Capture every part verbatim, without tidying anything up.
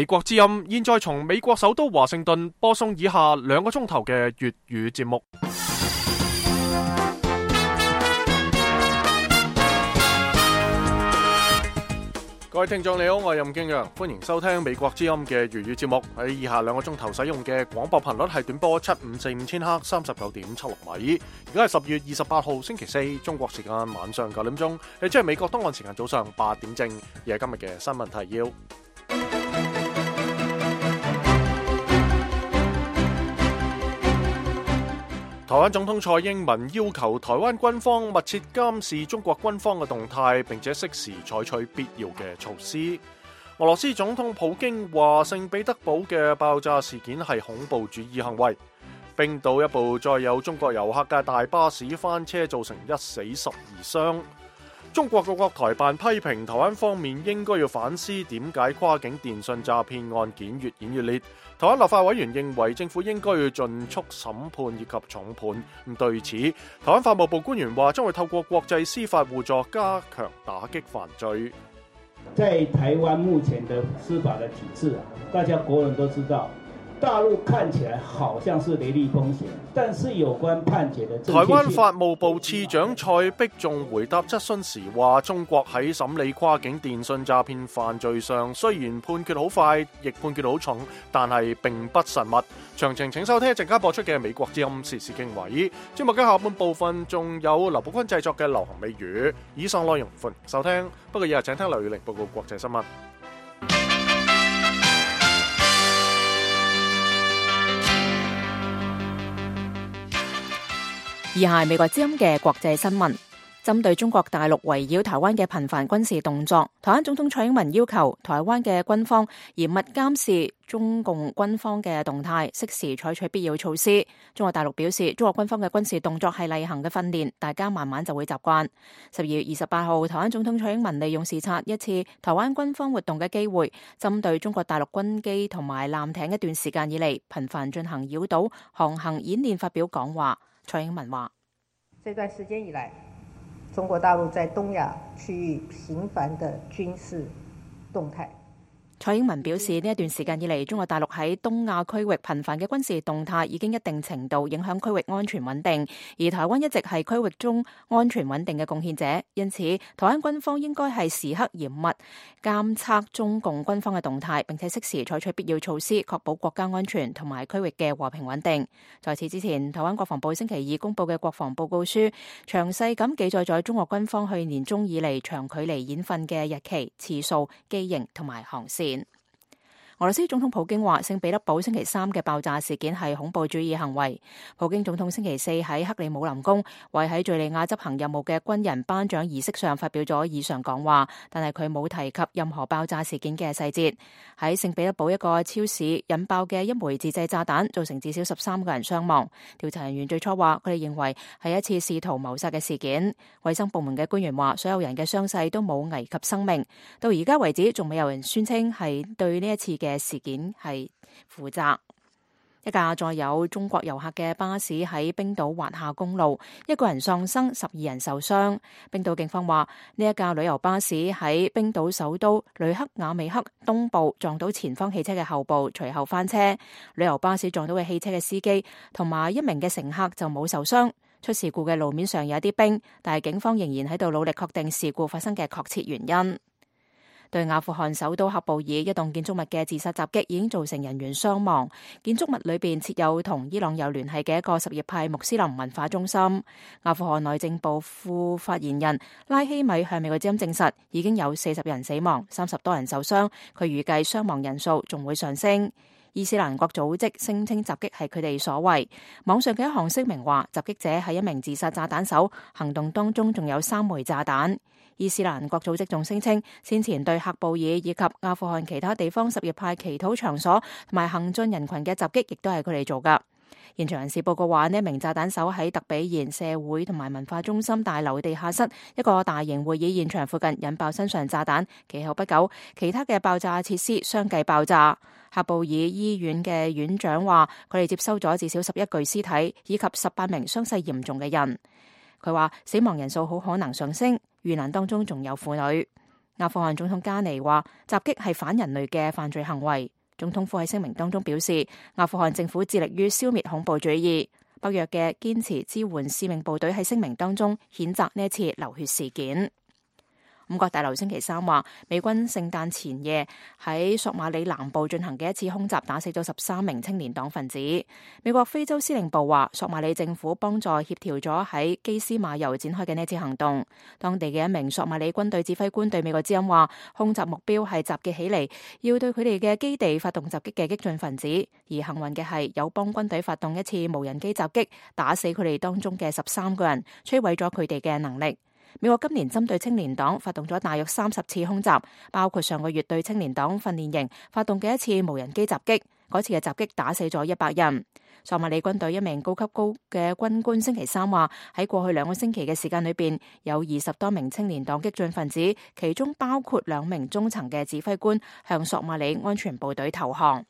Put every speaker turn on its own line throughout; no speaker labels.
美國之音現在從美國首都華盛頓播送以下兩個鐘頭嘅粵語節目。各位聽眾你好，我係任敬陽，歡迎收聽美國之音嘅粵語節目。喺以下兩個鐘頭使用嘅廣播頻率係短波七五四五千赫三十九點七六米。而家係十月二十八號星期四，中國時間晚上九點鐘，亦即係美國東岸時間早上八點正。而係今日嘅新聞提要。台灣總統蔡英文要求台灣軍方密切監視中國軍方嘅動態，並且適時採取必要嘅措施。俄羅斯總統普京話聖彼得堡嘅爆炸事件係恐怖主義行為。冰島一部載有中國遊客嘅大巴士翻車，造成一死十二傷。中國各國台辦批評台灣方面應該要反思點解跨境電信詐騙案件越演越烈。台灣立法委員認為政府應該要盡速審判以及重判。咁對此，台灣法務部官員話將會透過國際司法互助加強打擊犯罪。
在台灣目前的司法的體制啊，大家國人都知道，大陸看起來好像是雷厲風險，但是有關判決的正確性。
台灣法務部次長蔡碧仲回答質詢時話，中國喺審理跨境電信詐騙犯罪上，雖然判決好快，亦判決好重，但係並不慎密。詳情請收聽一陣間播出嘅美國之音時事經緯。節目嘅下半部分仲有劉寶坤製作嘅流行美語。以上內容歡迎收聽，不過以下請聽劉宇玲報告國際新聞。
以下係美國之音嘅國際新聞。針對中國大陸圍繞台灣嘅頻繁軍事動作，台灣總統蔡英文要求台灣嘅軍方嚴密監視中共軍方嘅動態，適時採取必要措施。中國大陸表示，中國軍方嘅軍事動作係例行嘅訓練，大家慢慢就會習慣。十二月二十八號，台灣總統蔡英文利用視察一次台灣軍方活動嘅機會，針對中國大陸軍機同埋艦艇一段時間以嚟頻繁進行繞島航行演練發表講話。蔡英文話：
這段時間以來，中國大陸在東亞區域頻繁的軍事動態。
蔡英文表示，呢一段時間以嚟，中國大陸喺東亞區域頻繁嘅軍事動態已經一定程度影響區域安全穩定，而台灣一直係區域中安全穩定嘅貢獻者。因此，台灣軍方應該係時刻嚴密監測中共軍方嘅動態，並且適時採取必要措施，確保國家安全同埋區域嘅和平穩定。在此之前，台灣國防部星期二公布嘅國防報告書，詳細咁記載咗中國軍方去年中以嚟長距離演訓嘅日期、次數、機型同埋航線。俄羅斯總統普京話聖彼得堡星期三嘅爆炸事件係恐怖主義行為。普京總統星期四喺克里姆林宮為喺敘利亞執行任務嘅軍人頒獎儀式上發表咗以上講話，但係佢冇提及任何爆炸事件嘅細節。喺聖彼得堡一個超市引爆嘅一枚自製炸彈造成至少十三個人傷亡。調查人員最初話佢哋認為係一次試圖謀殺嘅事件。衛生部門嘅官員話所有人嘅傷勢都冇危及生命。到而家為止仲未有人宣稱係對呢一次嘅嘅事件係負責。一架載有中國遊客嘅巴士喺冰島滑下公路，一個人喪生，十二人受傷。冰島警方話呢一架旅遊巴士喺冰島首都雷克雅未克東部撞到前方汽車嘅後部，隨後翻車。旅遊巴士撞到嘅汽車嘅司機同埋一名嘅乘客就冇受傷。出事故嘅路面上有一啲冰，但係警方仍然喺度努力確定事故發生嘅確切原因。對阿富汗首都喀布爾一棟建築物嘅自殺襲擊已經造成人員傷亡。建築物裏邊設有同伊朗有聯繫嘅一個什葉派穆斯林文化中心。阿富汗內政部副發言人拉希米向美國之音證實，已經有四十人死亡，三十多人受傷。佢預計傷亡人數仲會上升。伊斯蘭國組織聲稱襲擊係佢哋所為。網上嘅一項聲明話，襲擊者係一名自殺炸彈手，行動當中仲有三枚炸彈。伊斯蘭國組織仲聲稱，先前對喀布爾以及阿富汗其他地方什葉派祈禱場所同埋行進人群嘅襲擊，亦都係佢哋做㗎。現場人士報告話，呢一名炸彈手喺特比賢社會同埋文化中心大樓地下室一個大型會議現場附近引爆身上炸彈，其後不久，其他嘅爆炸設施相繼爆炸。喀布爾醫院嘅院長話，佢哋接收咗至少十一具屍體，以及十八名傷勢嚴重嘅人。佢話死亡人數好可能上升，遇難當中仲有婦女。阿富汗總統加尼話，襲擊係反人類嘅犯罪行為。總統府喺聲明當中表示，阿富汗政府致力於消滅恐怖主義。北約嘅堅持支援使命部隊喺聲明當中譴責呢一次流血事件。五角大樓星期三話，美軍聖誕前夜喺索馬里南部進行嘅一次空襲，打死咗十三名青年黨分子。美國非洲司令部話，索馬里政府幫助協調咗喺基斯馬尤展開嘅呢次行動。當地嘅一名索馬里軍隊指揮官對美國之音話，空襲目標係集結起嚟要對佢哋嘅基地發動襲擊嘅激進分子。而幸運嘅係，有幫軍隊發動一次無人機襲擊，打死佢哋當中嘅十三個人，摧毀咗佢哋嘅能力。美國今年針對青年黨發動咗大約三十次空襲，包括上個月對青年黨訓練營發動嘅一次無人機襲擊。嗰次嘅襲擊打死咗一百人。索馬里軍隊一名高級高嘅軍官星期三話，喺過去兩個星期嘅時間裏邊，有二十多名青年黨激進分子，其中包括兩名中層嘅指揮官，向索馬里安全部隊投降。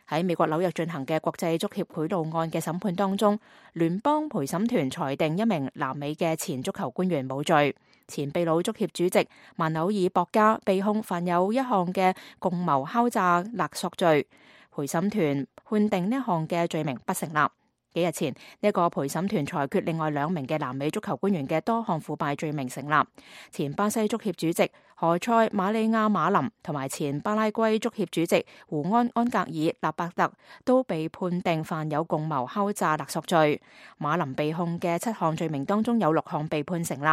喺美國紐約進行嘅國際足協賄賂案嘅審判當中，聯邦陪審團裁定一名南美嘅前足球官員冇罪。前秘魯足協主席曼紐爾博加被控犯有一項嘅共謀敲詐勒索罪，陪審團判定呢一項嘅罪名不成立。幾日前，呢一個陪審團裁決另外兩名嘅南美足球官員嘅多項腐敗罪名成立。前巴西足協主席何塞馬利亞馬林同埋前巴拉圭足協主席胡安安格爾納伯特都被判定犯有共謀敲詐勒索罪。馬林被控嘅七項罪名當中有六項被判成立，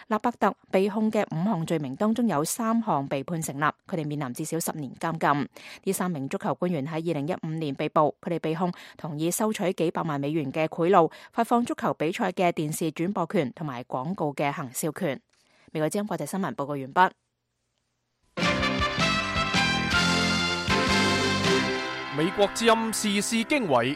納伯特被控嘅五項罪名當中有三項被判成立，佢哋面臨至少十年監禁。呢三名足球官員喺二零一五年被捕，佢哋被控同意收取幾百萬美元嘅賄賂，發放足球比賽嘅電視轉播權同埋廣告嘅行銷權。美國之音國際新聞報告完畢。
美國之音時事經緯，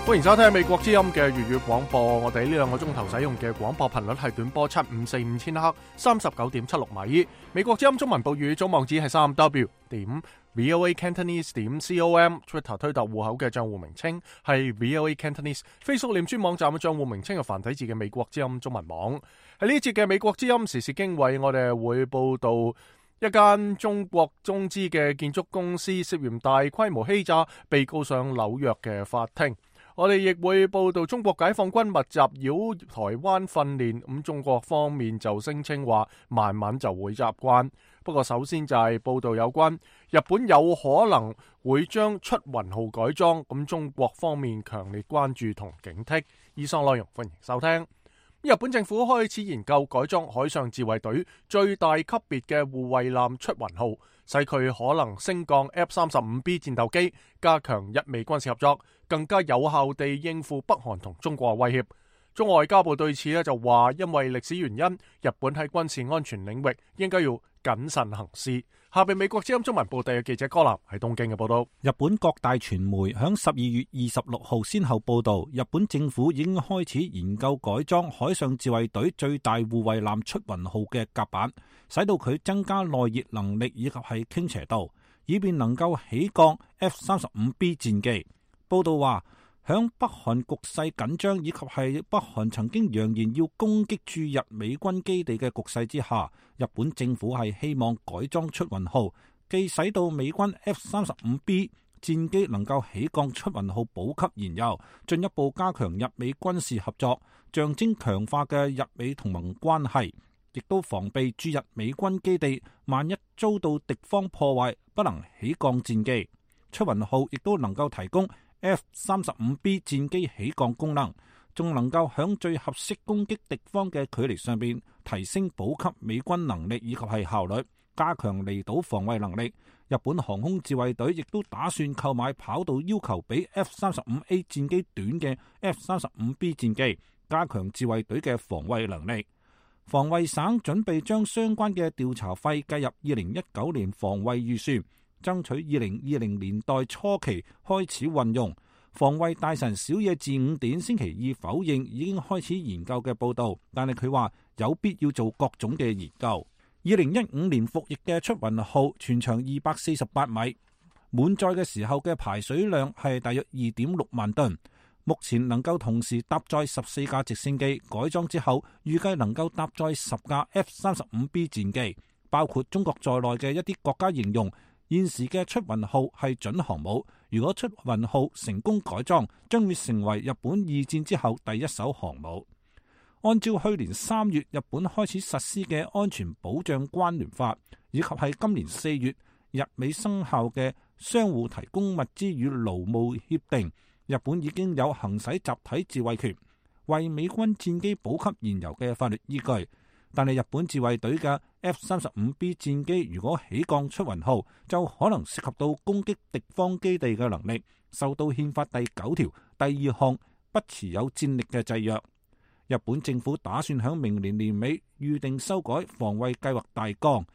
歡迎收聽美國之音嘅粵語廣播。我哋呢兩個鐘頭使用嘅廣播頻率係短波七五四五千赫，三十九點七六米。美國之音中文報語總網址係三 W 點 V O A Cantonese 點 com，Twitter 推特戶口嘅賬戶名稱係 V O A Cantonese，Facebook 臉書網站嘅賬戶名稱係繁體字嘅美國之音中文網。喺呢節嘅美國之音時事經緯，我哋會報道一間中國中資嘅建築公司涉嫌大規模欺詐，被告上紐約嘅法庭。我哋亦會報道中國解放軍密集擾台灣訓練，咁中國方面就聲稱話慢慢就會習慣。不過首先就係報道有關日本有可能會將出雲號改裝，咁中國方面強烈關注同警惕。以上內容歡迎收聽。日本政府開始研究改裝海上自衛隊最大級別嘅護衛艦出雲號，使佢可能升降 F 三十五 B 戰鬥機，加強日美軍事合作，更加有效地應付北韓同中國威脅。中外交部對此咧就話，因為歷史原因，日本喺軍事安全領域應該要謹慎行事。下邊美國之音中文部地嘅記者柯南喺東京嘅報道。
日本各大傳媒響十二月二十六號先後報道，日本政府已經開始研究改裝海上自衛隊最大護衛艦出雲號嘅甲板，使到佢增加耐熱能力以及係傾斜度，以便能夠起降 F 三十五 B 戰機。報道話，響北韓局勢緊張以及係北韓曾經揚言要攻擊駐日美軍基地嘅局勢之下，日本政府係希望改裝出雲號，既使到美軍 F 三十五 B 戰機能夠起降出雲號補給燃油，進一步加強日美軍事合作，象徵強化嘅日美同盟關係，亦都防備駐日美軍基地萬一遭到敵方破壞，不能起降戰機。出雲號亦都能夠提供F 三十五 B 戰機起降功能，仲能夠響最合適攻擊敵方嘅距離上邊提升補給美軍能力以及係效率，加強離島防衛能力。日本航空自衛隊亦都打算購買跑道要求比 F 三十五 A 戰機短嘅 F 三十五 B 戰機，加強自衛隊嘅防衛能力。防衛省準備將相關嘅調查費計入二零一九年防衛預算，爭取二零二零年代初期開始運用。防衛大臣小野寺五典星期二否認已經開始研究嘅報道，但係佢話有必要做各種嘅研究。二零一五年服役嘅出雲號全長二百四十八米，滿載嘅時候嘅排水量係大約二點六萬噸，目前能夠同時搭載十四架直升機，改裝之後預計能夠搭載十架 F 三十五 B 戰機。包括中國在內嘅一啲國家形容現時嘅出雲號係準航母。如果出雲號成功改裝，將會成為日本二戰之後第一艘航母。按照去年三月日本開始實施嘅安全保障關聯法，以及係今年四月日美生效嘅相互提供物資與勞務協定，日本已經有行使集體自衛權，為美軍戰機補給燃油嘅法律依據。但係日本自衛隊嘅 F 三十五 B 戰機如果起降出雲號，就可能涉及到攻擊敵方基地嘅能力，受到憲法第九條第二項不持有戰力嘅制約。日本政府打算喺明年年尾預定修改防衛計劃大綱，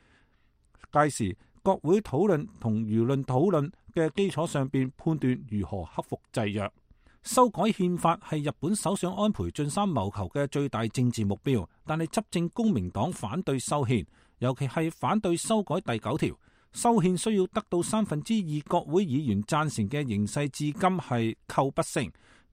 屆時國會討論同輿論討論嘅基礎上邊判斷如何克服制約。修改憲法係日本首相安倍晉三謀求嘅最大政治目標，但係執政公明黨反對修憲，尤其係反對修改第九條。修憲需要得到三分之二國會議員贊成嘅形勢至今係叩不成。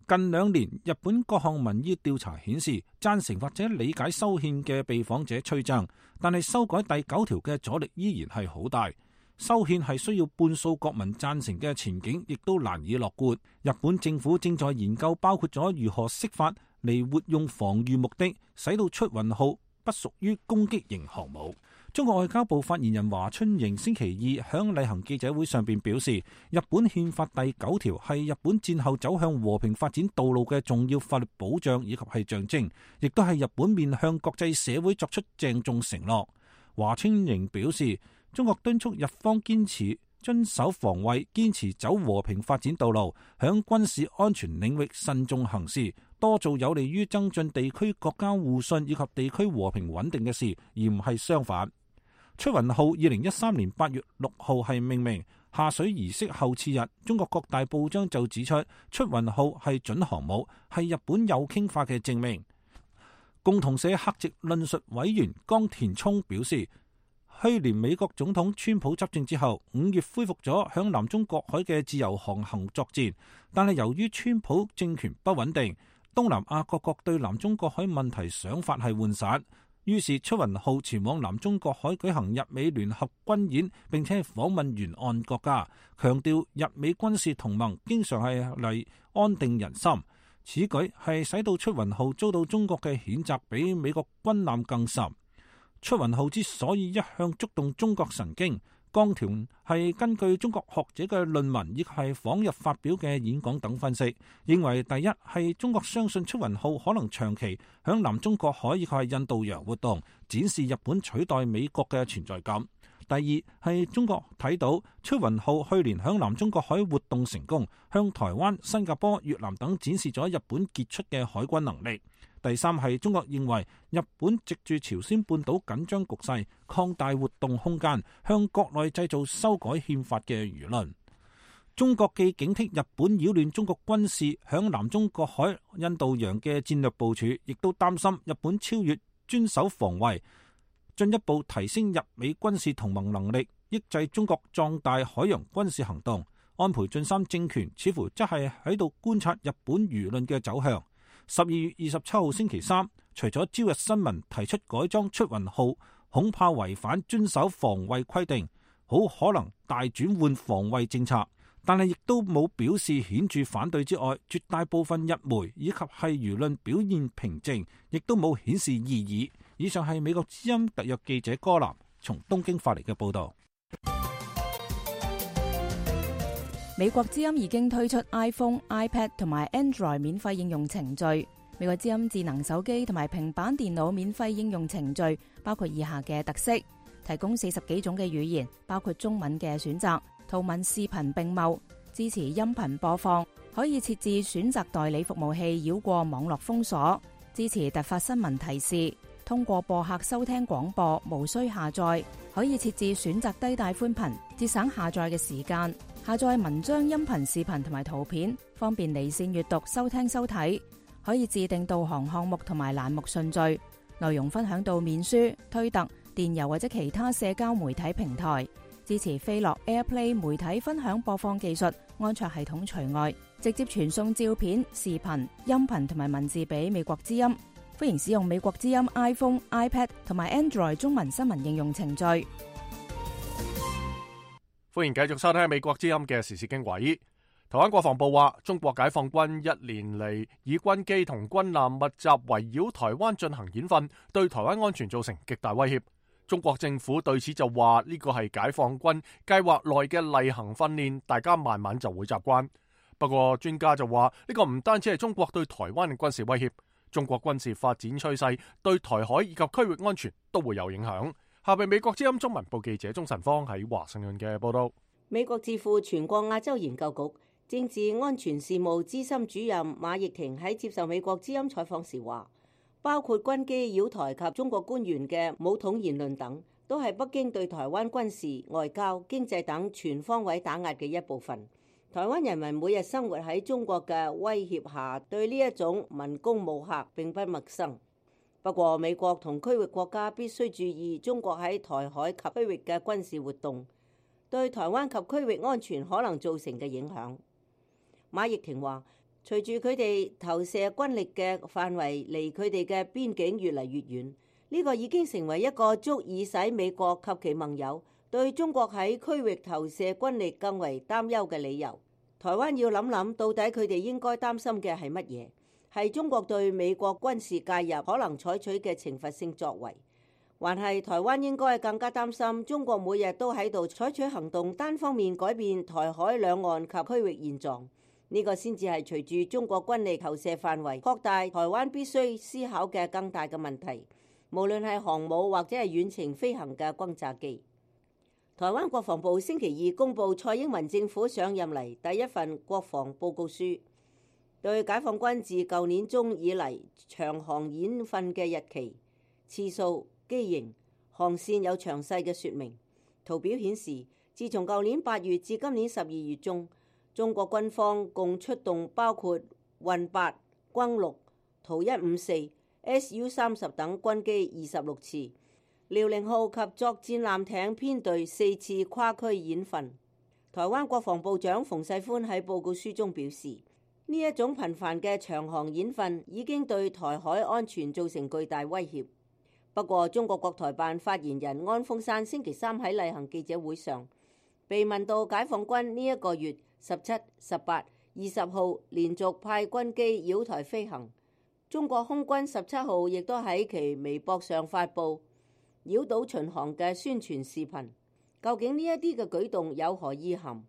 近兩年日本各項民意調查顯示，贊成或者理解修憲嘅被訪者趨增，但係修改第九條嘅阻力依然係好大。修憲係需要半數國民贊成嘅前景，亦都難以樂觀。日本政府正在研究包括咗如何釋法嚟活用防禦目的，使到出雲號不屬於攻擊型航母。中國外交部發言人華春瑩星期二響例行記者會上邊表示，日本憲法第九條係日本戰後走向和平發展道路嘅重要法律保障以及係象徵，亦都係日本面向國際社會作出鄭重承諾。華春瑩表示，中國敦促日方堅持遵守防衛，堅持走和平發展道路，響軍事安全領域慎重行事，多做有利於增進地區國家互信以及地區和平穩定嘅事，而唔係相反。出雲號二零一三年八月六號係命名，下水儀式後次日，中國各大報章就指出出雲號係準航母，係日本右傾化嘅證明。共同社客席論述委員江田聰表示，去年美國總統川普執政之後，五月恢復咗響南中國海嘅自由航行作戰，但係由於川普政權不穩定，東南亞各國對南中國海問題想法係渙散，於是出雲號前往南中國海舉行日美聯合軍演，並且訪問沿岸國家，強調日美軍事同盟經常係嚟安定人心。此舉係使到出雲號遭到中國嘅譴責比美國軍艦更甚。出雲號之所以一向觸動中國神經，江田係根據中國學者嘅論文以及係訪日發表嘅演講等分析，認為第一係中國相信出雲號可能長期響南中國海以及係印度洋活動，展示日本取代美國嘅存在感。第二係中國睇到出雲號去年響南中國海活動成功，向台灣、新加坡、越南等展示咗日本傑出嘅海軍能力。第三係中國認為日本藉住朝鮮半島緊張局勢擴大活動空間，向國內製造修改憲法嘅輿論。中國既警惕日本擾亂中國軍事響南中國海、印度洋嘅戰略部署，亦都擔心日本超越遵守防衛，進一步提升日美軍事同盟能力，抑制中國壯大海洋軍事行動。安倍晉三政權似乎則係喺度觀察日本輿論嘅走向。十二月二十七號星期三，除咗朝日新聞提出改裝出雲號恐怕違反遵守防衛規定，好可能大轉換防衛政策，但係亦都冇表示顯著反對之外，絕大部分日媒以及係輿論表現平靜，亦都冇顯示異議。以上係美國之音特約記者柯南從東京發嚟嘅報道。
美國之音已經推出 iPhone、iPad 同埋 Android 免費應用程序。美國之音智能手機同埋平板電腦免費應用程序包括以下嘅特色：提供四十幾種嘅語言，包括中文嘅選擇，圖文視頻並茂，支持音頻播放，可以設置選擇代理服務器繞過網絡封鎖，支持突發新聞提示，通過播客收聽廣播，無需下載，可以設置選擇低帶寬頻，節省下載嘅時間。下載文章、音頻、視頻同埋圖片，方便離線閱讀、收聽收睇。可以自定導航項目同埋欄目順序，內容分享到面書、推特、電郵或者其他社交媒體平台。支持飛樂 AirPlay 媒體分享播放技術，安卓系統除外。直接傳送照片、視頻、音頻同埋文字俾美國之音。歡迎使用美國之音 iPhone、iPad 同埋 Android 中文新聞應用程序。
歡迎繼續收聽美國之音嘅時事經緯。台灣國防部話，中國解放軍一年嚟以軍機同軍艦密集圍繞台灣進行演訓，對台灣安全造成極大威脅。中國政府對此就話呢個係解放軍計劃內嘅例行訓練，大家慢慢就會習慣。不過專家就話呢個唔單止係中國對台灣嘅軍事威脅，中國軍事發展趨勢對台海以及區域安全都會有影響。下邊美國之音中文部記者鍾晨芳喺華盛頓嘅報道。
美國智庫全國亞洲研究局政治安全事務資深主任馬奕婷喺接受美國之音採訪時話，包括軍機擾台及中國官員嘅武統言論等，都係北京對台灣軍事、外交、經濟等全方位打壓嘅一部分。台灣人民每日生活喺中國嘅威脅下，對呢一種文攻武嚇並不陌生。不過，美國同區域國家必須注意中國喺台海及區域嘅軍事活動對台灣及區域安全可能造成嘅影響。馬奕婷話，隨住佢哋投射軍力嘅範圍離佢哋嘅邊境越嚟越遠，呢個已經成為一個足以使美國及其盟友對中國喺區域投射軍力更為擔憂嘅理由。台灣要諗諗，到底佢哋應該擔心嘅係乜嘢？係中國對美國軍事介入可能採取嘅懲罰性作為，還係台灣應該更加擔心中國每日都喺度採取行動，單方面改變台海兩岸及區域現狀？呢個先至係隨住中國軍力投射範圍擴大，台灣必須思考嘅更大嘅問題。無論係航母或者係遠程飛行嘅轟炸機。台灣國防部星期二公布蔡英文政府上任嚟第一份國防報告書，對解放軍自舊年中以嚟長航演訓嘅日期、次數、機型、航線有詳細嘅說明。圖表顯示，自從舊年八月至今年十二月中，中國軍方共出動包括運八、轟六、圖一五四、S U 三十等軍機二十六次，遼寧號及作戰艦艇編隊四次跨區演訓。台灣國防部長馮世寬喺報告書中表示，呢一種頻繁嘅長航演訓已經對台海安全造成巨大威脅。不過，中國國台辦發言人安峰山星期三喺例行記者會上被問到解放軍呢一個月十七、十八、二十號連續派軍機擾台飛行，中國空軍十七號亦都喺其微博上發布擾島巡航嘅宣傳視頻。究竟呢一啲嘅舉動有何意涵，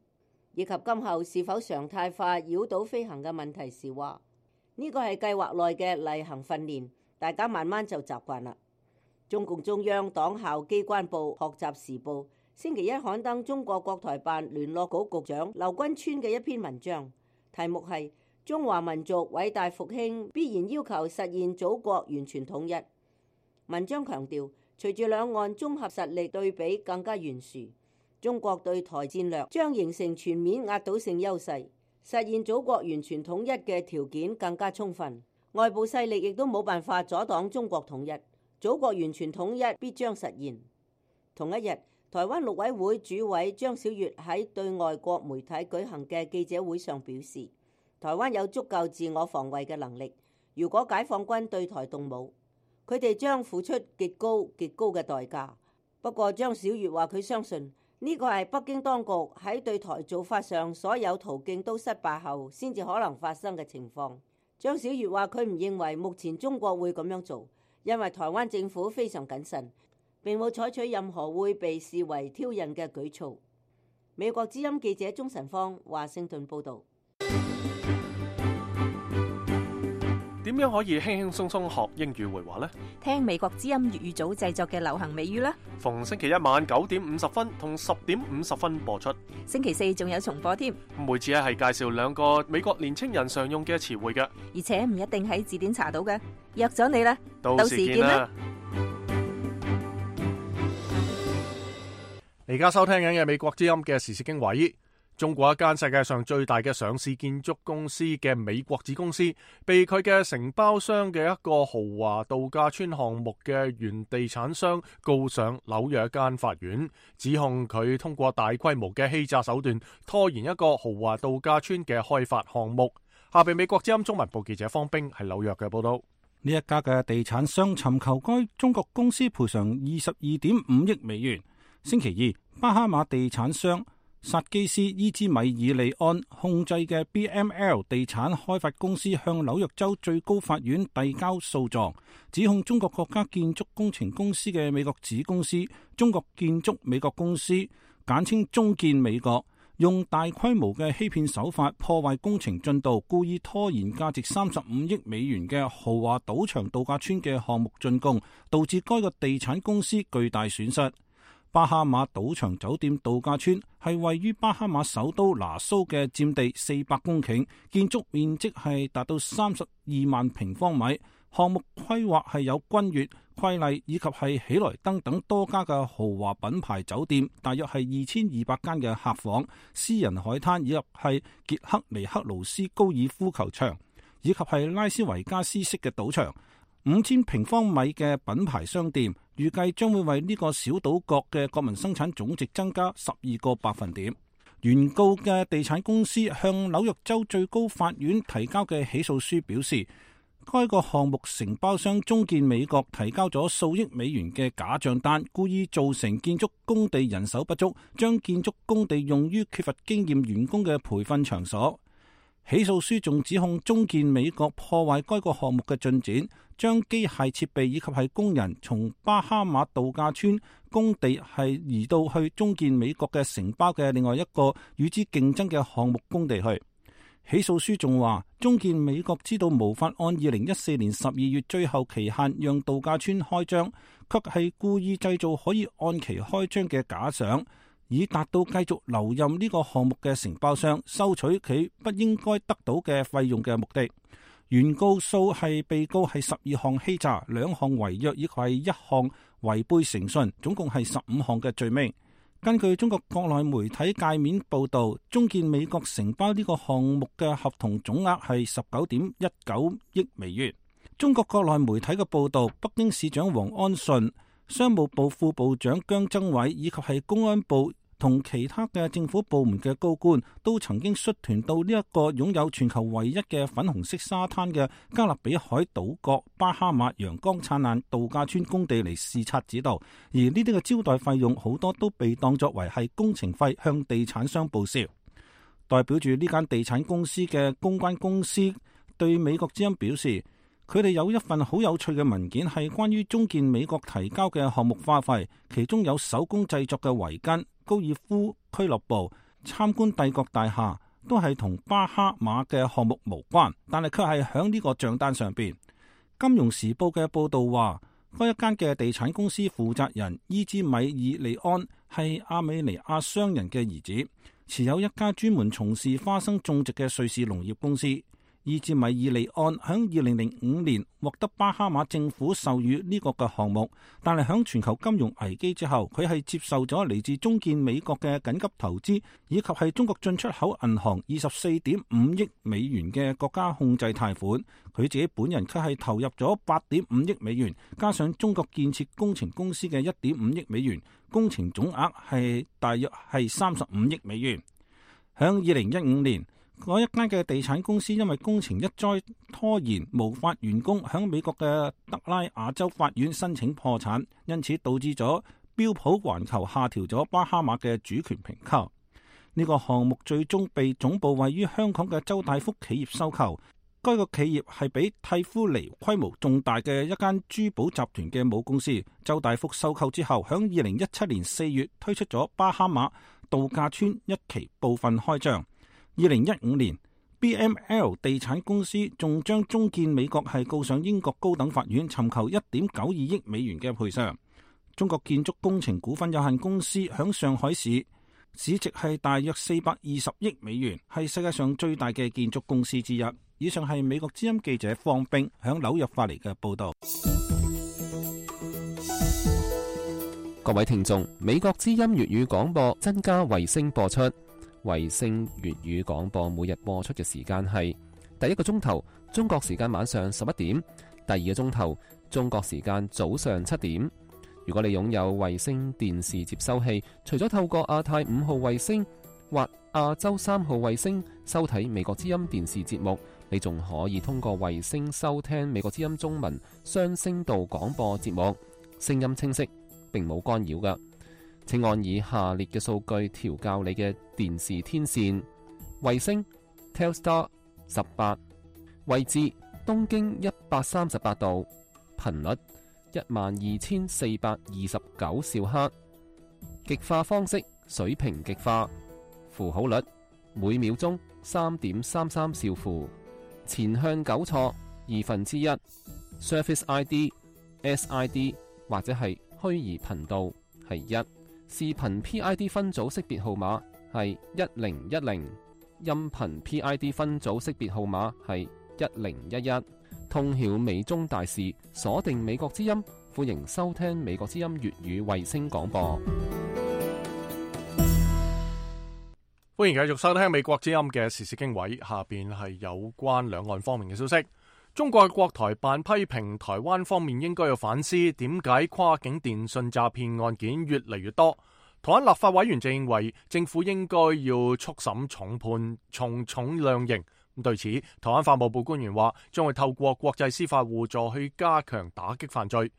以及今後是否常態化擾島飛行嘅問題時話，呢個係計劃內嘅例行訓練，大家慢慢就習慣啦。中共中央黨校機關報學習時報星期一刊登中國國台辦聯絡局局長劉軍川嘅一篇文章，題目係中華民族偉大復興必然要求實現祖國完全統一。文章強調，隨住兩岸綜合實力對比更加懸殊，中國對台戰略將形成全面壓倒性優勢，實現祖國完全統一嘅條件更加充分，外部勢力亦都冇辦法阻擋中國統一，祖國完全統一必將實現。同一日，台灣陸委會主委張曉月喺對外國媒體舉行嘅記者會上表示，台灣有足夠自我防衛嘅能力，如果解放軍對台動武，佢哋將付出極高極高嘅代價。不過張曉月話佢相信呢個係北京當局喺對台做法上所有途徑都失敗後先至可能發生嘅情況。張曉月話佢唔認為目前中國會咁樣做，因為台灣政府非常謹慎，並冇採取任何會被視為挑釁嘅舉措。美國之音記者鍾晨芳華盛頓報導。
點樣可以輕輕鬆鬆學英語會話呢？
聽美國之音粵語組製作嘅流行美語啦。
逢星期一晚九點五十分同十點五十分播出。
星期四仲有重播添。
每次係介紹兩個美國年青人常用嘅詞彙嘅，
而且唔一定喺字典查到嘅。約咗你啦，
到時見啦。你而家收聽緊嘅美國之音嘅時事經緯。中國一間世界上最大嘅上市建築公司嘅美國子公司，被佢嘅承包商嘅一個豪華度假村項目嘅原地產商告上紐約一間法院，指控佢通過大規模嘅欺詐手段拖延一個豪華度假村嘅開發項目。下邊美國之音中文部記者方冰喺紐約嘅報道。
呢一家嘅地產商尋求該中國公司賠償二十二點五億美元。星期二，巴哈馬地產商薩基斯伊茲米爾利安控制嘅 B M L 地產開發公司向紐約州最高法院遞交訴狀，指控中國國家建築工程公司嘅美國子公司中國建築美國公司，簡稱中建美國，用大規模嘅欺騙手法破壞工程進度，故意拖延價值三十五億美元嘅豪華賭場度假村嘅項目竣工，導致該個地產公司巨大損失。巴哈馬賭場酒店度假村係位於巴哈馬首都拿蘇嘅，佔地四百公頃，建築面積係達到三十二萬平方米。項目規劃係有君悅、瑰麗以及係喜來登等多家嘅豪華品牌酒店，大約係二千二百間嘅客房、私人海灘以及係傑克尼克勞斯高爾夫球場，以及係拉斯維加斯式嘅賭場。五千平方米嘅品牌商店，預計將會為呢個小島國嘅國民生產總值增加十二個百分點。原告嘅地產公司向紐約州最高法院提交嘅起訴書表示，該個項目承包商中建美國提交咗數億美元嘅假賬單，故意造成建築工地人手不足，將建築工地用於缺乏經驗員工嘅培訓場所。起訴書仲指控中建美國破壞該個項目嘅進展，將機械設備以及係工人從巴哈馬度假村工地係移到去中建美國嘅承包嘅另外一個與之競爭嘅項目工地去。起訴書仲話，中建美國知道無法按二零一四年十二月最後期限讓度假村開張，卻係故意製造可以按期開張嘅假想，以達到繼續留任呢個項目嘅承包商收取佢不應該得到嘅費用嘅目的。原告訴係被告係十二項欺詐、兩項違約以及係一項違背誠信，總共係十五項嘅罪名。根據中國國內媒體界面報道，中建美國承包呢個項目嘅合同總額係十九點一九億美元。中國國內媒體嘅報道，北京市長王安順、商務部副部長姜增偉以及係公安部同其他嘅政府部門嘅高官都曾經率團到呢一個擁有全球唯一嘅粉紅色沙灘嘅加勒比海島國巴哈馬陽光燦爛度假村工地嚟視察指導，而呢啲嘅招待費用好多都被當作為係工程費向地產商報銷。代表住呢間地產公司嘅公關公司對美國之音表示，佢哋有一份好有趣嘅文件，係關於中建美國提交嘅項目花費，其中有手工製作嘅圍巾、高爾夫俱樂部、參觀帝國大廈，都係同巴哈馬嘅項目無關，但係卻係響呢個賬單上邊。金融時報嘅報道話，該一間嘅地產公司負責人伊茲米爾利安係阿美尼亞商人嘅兒子，持有一家專門從事花生種植嘅瑞士農業公司。伊茲米爾利安響二零零五年獲得巴哈馬政府授予呢個嘅項目，但係響全球金融危機之後，佢係接受咗嚟自中建美國嘅緊急投資，以及係中國進出口銀行二十四點五億美元嘅國家控制貸款。佢自己本人卻係投入咗八點五億美元，加上中國建設工程公司嘅一點五億美元，工程總額係大約係三十五億美元。響二零一五年，嗰一間嘅地產公司因為工程一再拖延，無法完工，響美國嘅德拉瓦州法院申請破產，因此導致咗標普環球下調咗巴哈馬嘅主權評級。呢個項目最終被總部位於香港嘅周大福企業收購。該個企業係比蒂夫尼規模仲大嘅一間珠寶集團嘅母公司。周大福收購之後，響二零一七年四月推出咗巴哈馬度假村一期部分開張。二零一五年 B M L 地產公司仲將中建美國係告上英國高等法院，尋求一點九二億美元嘅賠償。中國建築工程股份有限公司響上海市市值係大約四百二十億美元，係世界上最大嘅建築公司之一。以上係美國之音記者方冰響紐約發嚟嘅報道。
各位聽眾，美國之音粵語廣播增加衛星播出。衛星粵語廣播每日播出嘅時間係第一個鐘頭中國時間晚上十一點，第二個鐘頭中國時間早上七點。如果你擁有衛星電視接收器，除咗透過亞太五號衛星或亞洲三號衛星收睇美國之音電視節目，你仲可以通過衛星收聽美國之音中文雙聲道廣播節目，聲音清晰，並冇干擾㗎。請按以下列嘅數據調校你嘅電視天線：衛星 Telstar 十八，位置東經一百三十八度，頻率一萬二千四百二十九兆赫，極化方式水平極化，符號率每秒鐘三點三三兆符，前向糾錯二分之一 ，Surface I D、S I D 或者係虛擬頻道係一，視頻 P I D 分組識別號碼係一零一零，音頻 P I D 分組識別號碼係一零一一。通曉美中大事，鎖定美國之音，歡迎收聽美國之音粵語衛星廣播。
歡迎繼續收聽美國之音嘅時事經緯，下邊係有關兩岸方面嘅消息。中國國台辦批評台灣方面應該要反思，點解跨境電信詐騙案件越嚟越多。台灣立法委員就認為政府應該要速審重判，從重量刑。對此，台灣法務部官員話將會透過國際司法互助去加強打擊犯罪。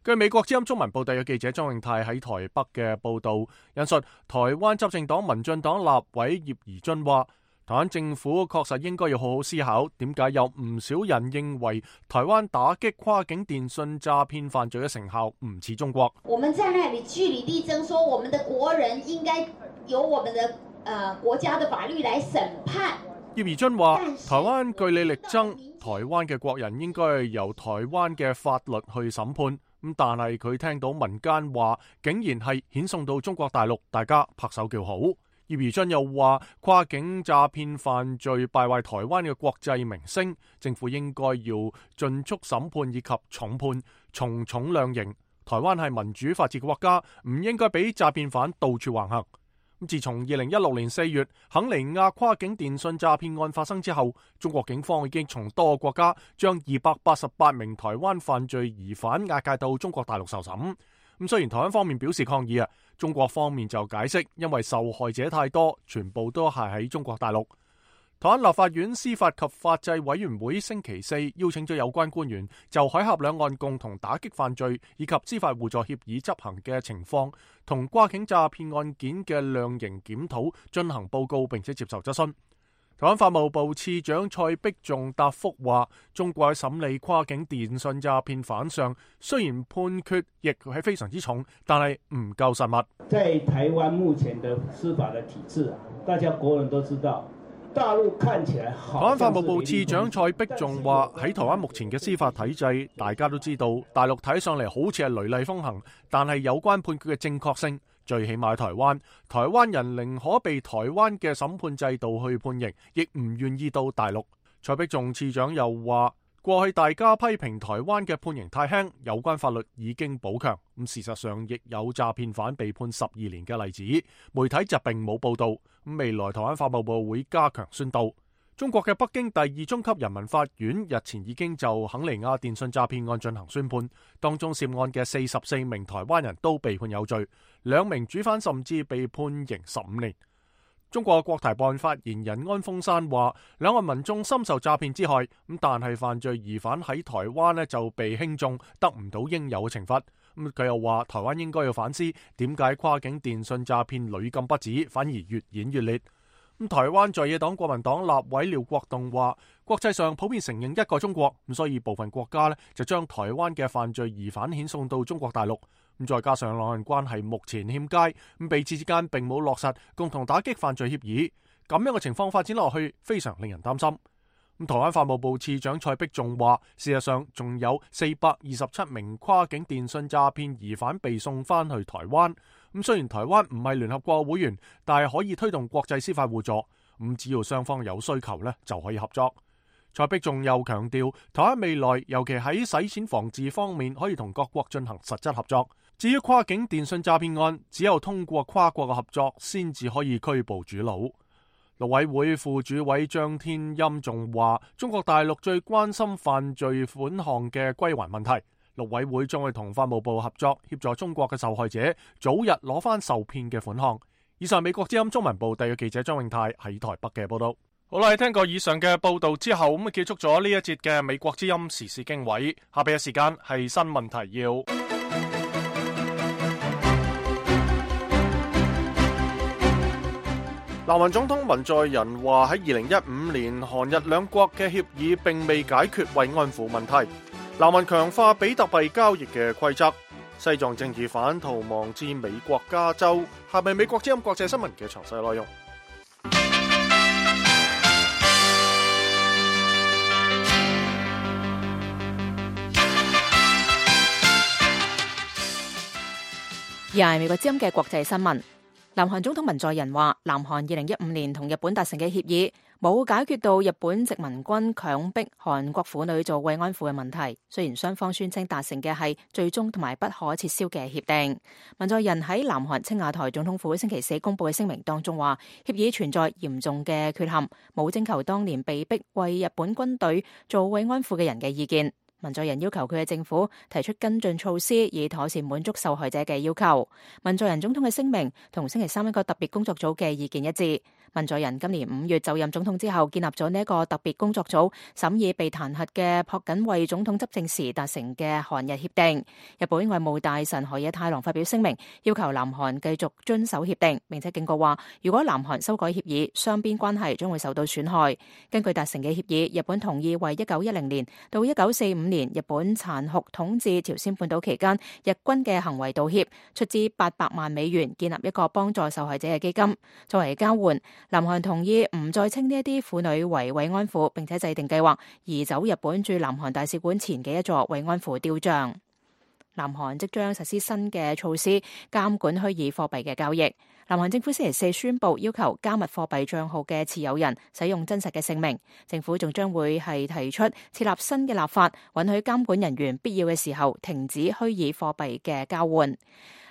據美國之音中文報道嘅記者莊永泰喺台北嘅報道引述台灣執政黨民進黨立委葉宜津話，台灣政府確實應該要好好思考，點解有唔少人認為台灣打擊跨境電信詐騙犯罪嘅成效唔似中國。
我們在那裡據理力爭，說我們的國人應該由我們的、呃、國家的法律來審判。
葉宜津話：台灣據理力爭，台灣嘅國人應該由台灣嘅法律去審判。咁但係佢聽到民間話，竟然係遣送到中國大陸，大家拍手叫好。葉宜津又話：跨境詐騙犯罪敗壞台灣嘅國際名聲，政府應該要盡速審判以及重判，從重量刑。台灣係民主法治嘅國家，唔應該俾詐騙犯到處橫行。自從二零一六年四月肯尼亞跨境電信詐騙案發生之後，中國警方已經從多個國家將二百八十八名台灣犯罪疑犯押解到中國大陸受審。咁雖然台灣方面表示抗議啊，中國方面就解釋，因為受害者太多，全部都係喺中國大陸。台灣立法院司法及法制委員會星期四邀請咗有關官員就海峽兩岸共同打擊犯罪以及司法互助協議執行嘅情況同跨境詐騙案件嘅量刑檢討進行報告，並且接受質詢。台灣法務部次長蔡碧仲答覆話，中國喺審理跨境電信詐騙犯上，雖然判決亦係非常之重，但係唔夠實物。
在台灣目前的司法的體制啊，大家國人都知道。大陸看起來好。台灣
法務部次長蔡碧仲話：喺台灣目前嘅司法體制，大家都知道，大陸睇上嚟好似係雷厲風行，但係有關判決嘅正確性，最起碼喺台灣，台灣人寧可被台灣嘅審判制度去判刑，亦唔願意到大陸。蔡碧仲次長又話：過去大家批評台灣嘅判刑太輕，有關法律已經補強。咁事實上亦有詐騙犯被判十二年嘅例子，媒體就並冇報道。咁未來台灣法務部會加強宣導。中國嘅北京第二中級人民法院日前已經就肯尼亞電信詐騙案進行宣判，當中涉案嘅四十四名台灣人都被判有罪，兩名主犯甚至被判刑十五年。中國國台辦發言人安峰山話：兩岸民眾深受詐騙之害，咁但係犯罪疑犯喺台灣呢就被輕重，得唔到應有嘅懲罰。咁佢又話：台灣應該要反思點解跨境電信詐騙屢禁不止，反而越演越烈。咁台灣在野黨國民黨立委廖國棟話：國際上普遍承認一個中國，咁所以部分國家呢就將台灣嘅犯罪疑犯遣送到中國大陸。咁再加上兩岸關係目前欠佳，咁彼此之間並冇落實共同打擊犯罪協議，咁樣嘅情況發展落去非常令人擔心。咁台灣法務部次長蔡碧仲話：事實上仲有四百二十七名跨境電信詐騙疑犯被送翻去台灣。咁雖然台灣唔係聯合國會員，但係可以推動國際司法互助。咁只要雙方有需求呢，就可以合作。蔡碧仲又強調，台灣未來尤其喺洗錢防治方面可以同各國進行實質合作。至於跨境電信詐騙案，只有通過跨國嘅合作先至可以拘捕主腦。陸委會副主委張天欽仲話，中國大陸最關心犯罪款項嘅歸還問題，陸委會將會同法務部合作，協助中國嘅受害者早日攞翻受騙嘅款項。以上美國之音中文部特約記者張永泰喺台北嘅報道。好啦，聽過以上嘅報道之後，咁結束咗呢一節嘅美國之音時事經緯。下邊嘅時間係新聞提要。南韓總統文在寅話喺二零一五年韓日兩國嘅協議並未解決慰安婦問題。南韓強化比特幣交易嘅規則。西藏政治犯逃亡至美國加州。下邊美國之音國際新聞嘅詳細內容。
而係美國之音嘅國際新聞。南韓總統文在寅話，南韓二零一五年同日本達成嘅協議冇解決到日本殖民軍強迫韓國婦女做慰安婦嘅問題。雖然雙方宣稱達成嘅係最終同埋不可撤銷嘅協定。文在寅喺南韓青瓦台總統府星期四公布嘅聲明當中話，協議存在嚴重嘅缺陷，冇徵求當年被逼為日本軍隊做慰安婦嘅人嘅意見。文在寅要求佢嘅政府提出跟進措施，以妥善滿足受害者嘅要求。文在寅總統嘅聲明同星期三一個特別工作組嘅意見一致。文在寅今年五月就任總統之後，建立咗呢一個特別工作組，審議被彈劾嘅朴槿惠總統執政時達成嘅韓日協定。日本外務大臣河野太郎發表聲明，要求南韓繼續遵守協定，並且警告話，如果南韓修改協議，雙邊關係將會受到損害。根據達成嘅協議，日本同意為一九一零年到一九四五年日本殘酷統治朝鮮半島期間日軍嘅行為道歉，出資八百萬美元建立一個幫助受害者嘅基金。作為交換，南韓同意唔再稱呢一啲婦女為慰安婦，並且制定計劃移走日本駐南韓大使館前嘅一座慰安婦雕像。南韓即將實施新嘅措施監管虛擬貨幣嘅交易。南韓政府星期四宣布，要求加密貨幣賬號嘅持有人使用真實嘅姓名。政府仲將會係提出設立新嘅立法，允許監管人員必要嘅時候停止虛擬貨幣嘅交換。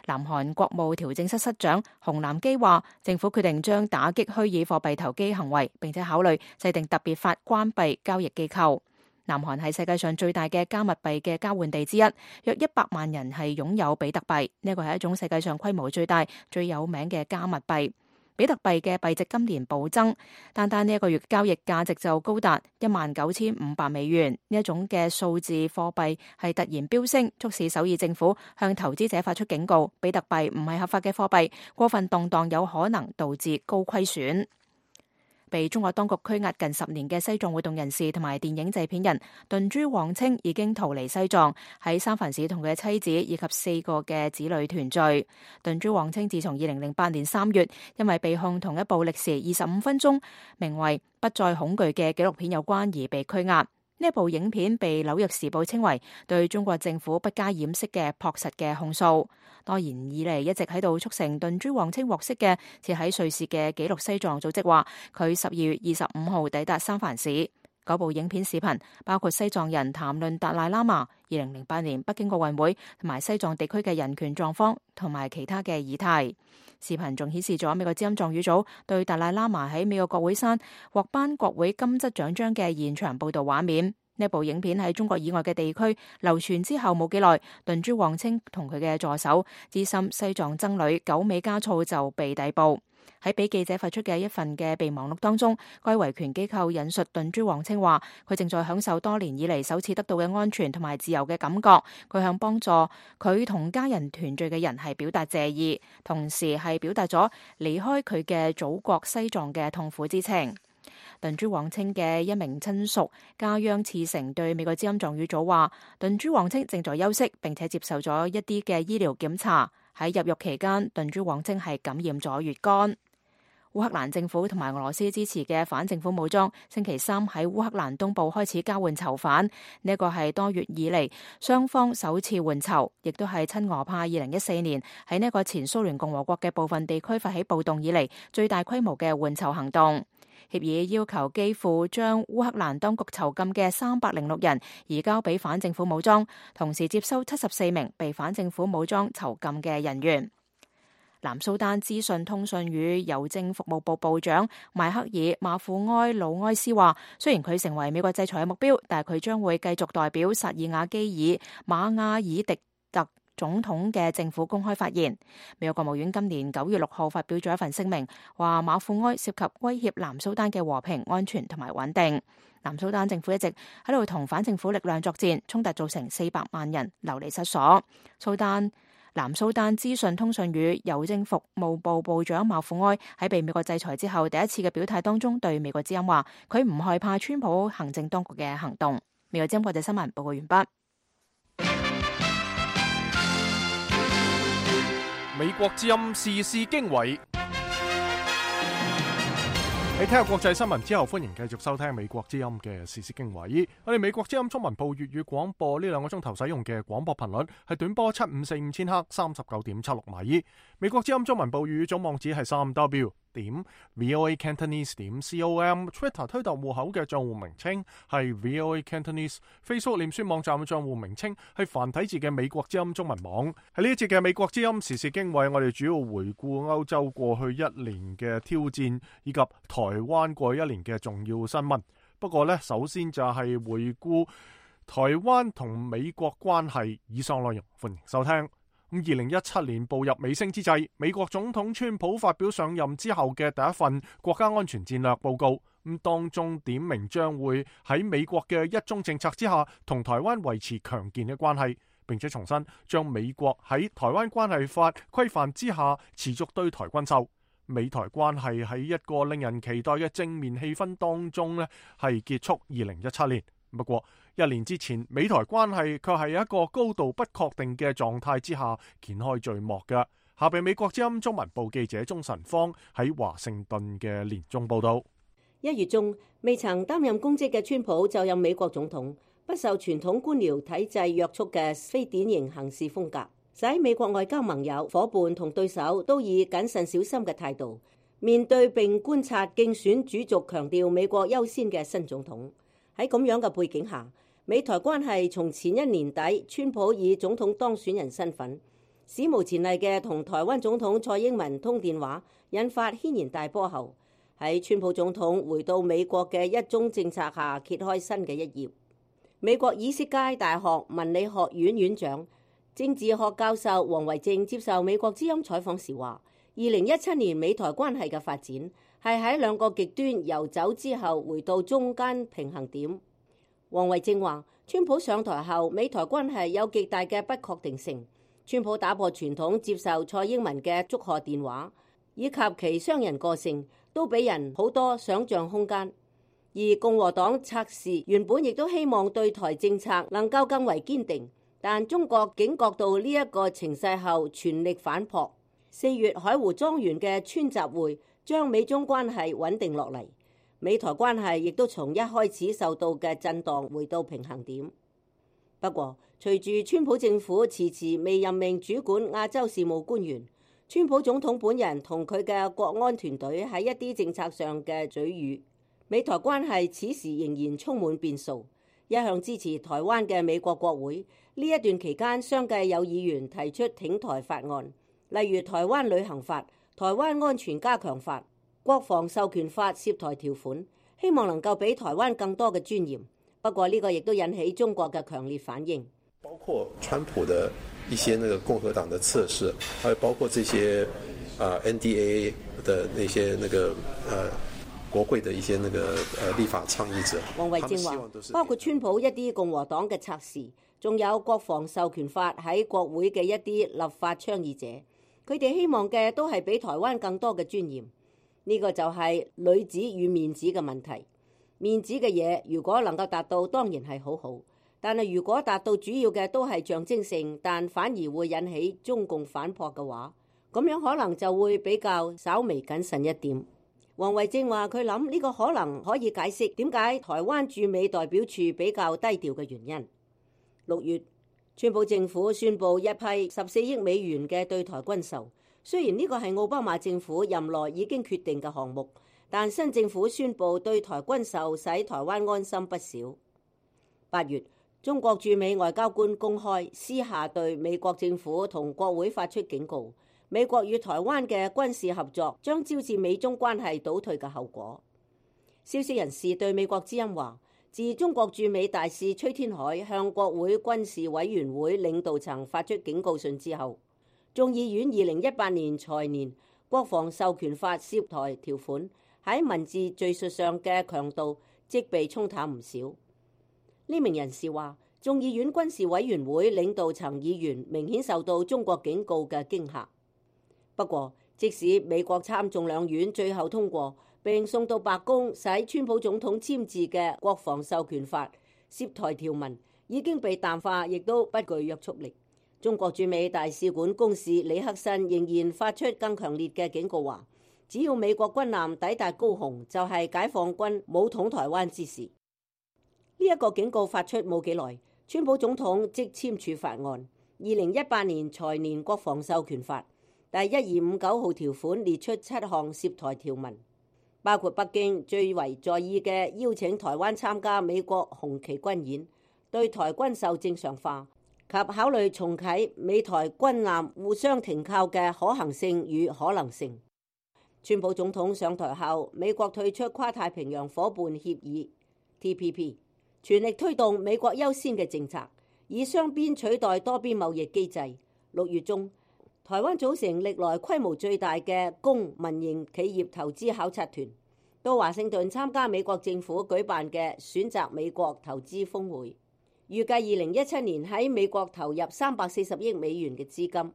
南韓國務調整室室長洪南基話，政府決定將打擊虛擬貨幣投機行為，並且考慮制定特別法關閉交易機構。南韓係世界上最大嘅加密幣嘅交換地之一，約一百萬人係擁有比特幣。呢個係一種世界上規模最大、最有名嘅加密幣。比特幣嘅幣值今年暴增，單單呢一個月交易價值就高達一萬九千五百美元。呢一種嘅數字貨幣係突然飆升，促使首爾政府向投資者發出警告：比特幣唔係合法嘅貨幣，過分動盪有可能導致高虧損。被中國當局拘押近十年嘅西藏活動人士同埋電影製片人頓珠旺清已經逃離西藏，喺三藩市同佢嘅妻子以及四個嘅子女團聚。頓珠旺清自從二零零八年三月因為被控同一部歷時二十五分鐘名為《不再恐懼》嘅紀錄片有關而被拘押。呢部影片被紐約時報稱為對中國政府不加掩飾嘅樸實嘅控訴。多年以嚟一直喺度促成頓珠旺清獲釋嘅設喺瑞士嘅紀錄西藏組織話，佢十二月二十五號抵達三藩市。嗰部影片視頻包括西藏人談論達賴喇嘛、二零零八年北京奧運會同埋西藏地區嘅人權狀況同埋其他嘅議題。視頻仲顯示咗美國之音藏語組對達賴喇嘛喺美國國會山獲頒國會金質獎章嘅現場報導畫面。呢部影片喺中國以外嘅地區流傳之後冇幾耐，頓珠旺清同佢嘅助手資深西藏僧侶久美加措就被逮捕。喺俾記者發出嘅一份嘅備忘錄當中，該維權機構引述頓珠旺清話，佢正在享受多年以嚟首次得到嘅安全同埋自由嘅感覺。佢向幫助佢同家人團聚嘅人係表達謝意，同時係表達咗離開佢嘅祖國西藏嘅痛苦之情。頓珠旺清嘅一名親屬家央次成對美國之音藏語組話，頓珠旺清正在休息，並且接受咗一啲嘅醫療檢查。喺入獄期間，頓珠旺清係感染咗乙肝。烏克蘭政府同埋俄羅斯支持嘅反政府武裝星期三喺烏克蘭東部開始交換囚犯，呢一個係多月以嚟雙方首次換囚，亦都係親俄派二零一四年喺呢一個前蘇聯共和國嘅部分地區發起暴動以嚟最大規模嘅換囚行動。協議要求基輔將烏克蘭當局囚禁嘅三百零六人移交俾反政府武裝，同時接收七十四名被反政府武裝囚禁嘅人員。南蘇丹資訊通訊與郵政服務部部長邁克爾馬庫埃魯埃斯話，雖然佢成為美國制裁嘅目標，但係佢將會繼續代表薩爾瓦基爾馬亞爾迪特總統嘅政府公開發言。美國國務院今年九月六號發表咗一份聲明，話馬庫埃涉及威脅南蘇丹嘅和平、安全同埋穩定。南蘇丹政府一直喺度同反政府力量作戰，衝突造成四百萬人流離失所。蘇丹南蘇丹資訊通訊與郵政服務部部長馬庫埃喺被美國制裁之後第一次嘅表態當中，對美國之音話佢唔害怕川普行政當局嘅行動。美國之音國際新聞報告完畢。
美國之音時事經緯。你聽下國際新聞之後，歡迎繼續收聽美國之音嘅時事經緯。我哋美國之音中文部粵語廣播呢兩個鐘頭使用嘅廣播頻率係短波七五四五千赫三十九點七六米。美國之音中文部粵語總網址係三 w 點 voa cantonese 點 com。Twitter 推特戶口嘅賬戶名稱係 voa cantonese。Facebook 臉書網站嘅賬戶名稱係繁體字嘅美國之音中文網。喺呢一節嘅美國之音時事經緯，我哋主要回顧歐洲過去一年嘅挑戰以及台台灣過去一年嘅重要新聞。不過呢，首先就係回顧台灣同美國關係以上內容，歡迎收聽。咁二零一七年步入尾聲之際，美國總統川普發表上任之後嘅第一份國家安全戰略報告，咁當中點明將會喺美國嘅一中政策之下，同台灣維持強健嘅關係，並且重申將美國喺台灣關係法規範之下持續對台軍售。美台關係喺一個令人期待嘅正面氣氛當中呢係結束二零一七年。不過一年之前，美台關係卻係一個高度不確定嘅狀態之下掀開序幕嘅。下邊美國之音中文部記者鍾晨芳喺華盛頓嘅年終報道。
一月中，未曾擔任公職嘅川普就任美國總統，不受傳統官僚體制約束嘅非典型行事風格，使美國外交盟友、夥伴同對手都以謹慎小心嘅態度面對並觀察競選主軸強調美國優先嘅新總統。喺咁樣嘅背景下，美台關係從前一年底川普以總統當選人身份史無前例嘅同台灣總統蔡英文通電話，引發軒然大波後，喺川普總統回到美國嘅一中政策下揭開新嘅一頁。美國以色列大學文理學院院長、政治學教授王維正接受美國之音採訪時話，二零一七年美台關係嘅發展係喺兩個極端遊走之後回到中間平衡點。王維正話，川普上台後，美台關係有極大嘅不確定性。川普打破傳統接受蔡英文嘅祝賀電話，以及其商人個性，都俾人好多想像空間。而共和黨策士原本亦都希望對台政策能夠更為堅定。但中國警覺到呢一個情勢後，全力反撲。四月海湖莊園嘅川習會將美中關係穩定落嚟，美台關係亦都從一開始受到嘅震盪回到平衡點。不過，隨住川普政府遲遲未任命主管亞洲事務官員，川普總統本人同佢嘅國安團隊喺一啲政策上嘅嘴語，美台關係此時仍然充滿變數。一向支持台灣嘅美國國會呢一段期間，相繼有議員提出挺台法案，例如台灣旅行法、台灣安全加強法、國防授權法涉台條款，希望能夠俾台灣更多嘅尊嚴。不過呢個亦都引起中國嘅強烈反應，
包括川普的一些那個共和黨的測試，還有包括這些啊 N D A A 的那些那個呃。國會的一些那個呃立法倡議者，
王維正話，包括川普一啲共和黨嘅測試，仲有國防授權法喺國會嘅一啲立法倡議者，佢哋希望嘅都係俾台灣更多嘅尊嚴。呢、這個就係裏子與面子嘅問題。面子嘅嘢如果能夠達到，當然係好好，但係如果達到主要嘅都係象徵性，但反而會引起中共反撲嘅話，咁樣可能就會比較稍微謹慎一點。王維正話：佢諗呢個可能可以解釋點解台灣駐美代表處比較低調嘅原因。六月，川普政府宣布一批十四億美元嘅對台軍售，雖然呢個係奧巴馬政府任內已經決定嘅項目，但新政府宣布對台軍售，使台灣安心不少。八月，中國駐美外交官公開私下對美國政府同國會發出警告。美國與台灣嘅軍事合作將招致美中關係倒退嘅後果。消息人士對美國之音話，自中國駐美大使崔天凱向國會軍事委員會領導層發出警告信之後，眾議院二零一八年財年國防授權法涉台條款喺文字敘述上嘅強度即被沖淡唔少。呢名人士話，眾議院軍事委員會領導層議員明顯受到中國警告嘅驚嚇。不過，即使美國參眾兩院最後通過並送到白宮使川普總統簽字嘅國防授權法涉台條文已經被淡化，亦都不具約束力。中國駐美大使館公使李克申仍然發出更強烈嘅警告，話只要美國軍艦抵達高雄，就係、是、解放軍武統台灣之時。呢、這、一個警告發出冇幾耐，川普總統即簽署法案，二零一八年財年國防授權法第一二五九號條款列出七項涉台條文，包括北京最為在意嘅邀請台灣參加美國紅旗軍演、對台軍售正常化及考慮重啟美台軍艦互相停靠嘅可行性與可能性。川普總統上台後，美國退出跨太平洋夥伴協議 T P P， 全力推動美國優先嘅政策，以雙邊取代多邊貿易機制。六月中，台灣組成歷來規模最大嘅公民營企業投資考察團，到華盛頓參加美國政府舉辦嘅選擇美國投資峰會，預計二零一七年喺美國投入三百四十億美元嘅資金，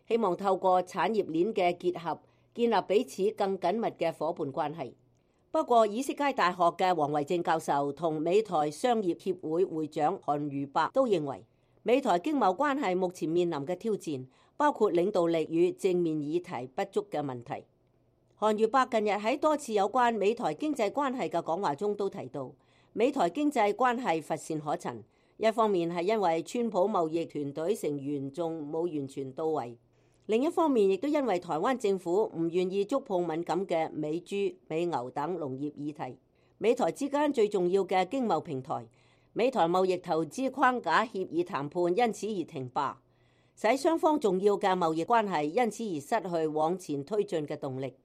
希望透過產業鏈嘅結合，建立彼此更緊密嘅夥伴關係。不過，以色列大學嘅黃維正教授同美台商業協會會長韓如伯都認為，美台經貿關係目前面臨嘅挑戰包括領導力與正面議題不足嘅問題。韓如伯近日喺多次有關美台經濟關係嘅講話中都提到，美台經濟關係乏善可陳。一方面係因為川普貿易團隊成員仲冇完全到位，另一方面亦都因為台灣政府唔願意觸碰敏感嘅美豬、美牛等農業議題。美台之間最重要嘅經貿平台美台貿易投資框架協議談判因此而停罷，使雙方重要嘅貿易關係因此而失去往前推進嘅動力。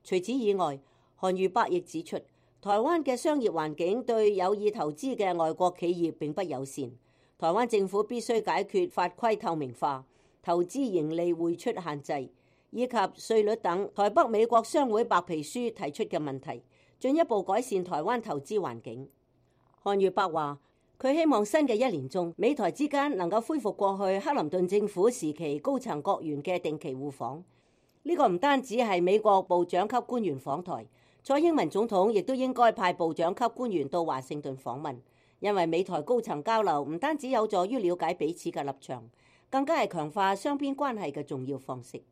除此以外，韓如伯亦指出，台灣嘅商業環境對有意投資嘅外國企業並不友善，台灣政府必須解決法規透明化、投資盈利匯出限制以及稅率等台北美國商會白皮書提出嘅問題，進一步改善台灣投資環境。韓如伯話，佢希望新嘅一年中，美台之間能夠恢復過去克林頓政府時期高層閣員嘅定期互訪。呢、這個唔單止係美國部長級官員訪台，蔡英文總統亦都應該派部長級官員到華盛頓訪問，因為美台高層交流唔單止有助於了解彼此嘅立場，更加係強化雙邊關係嘅重要方式。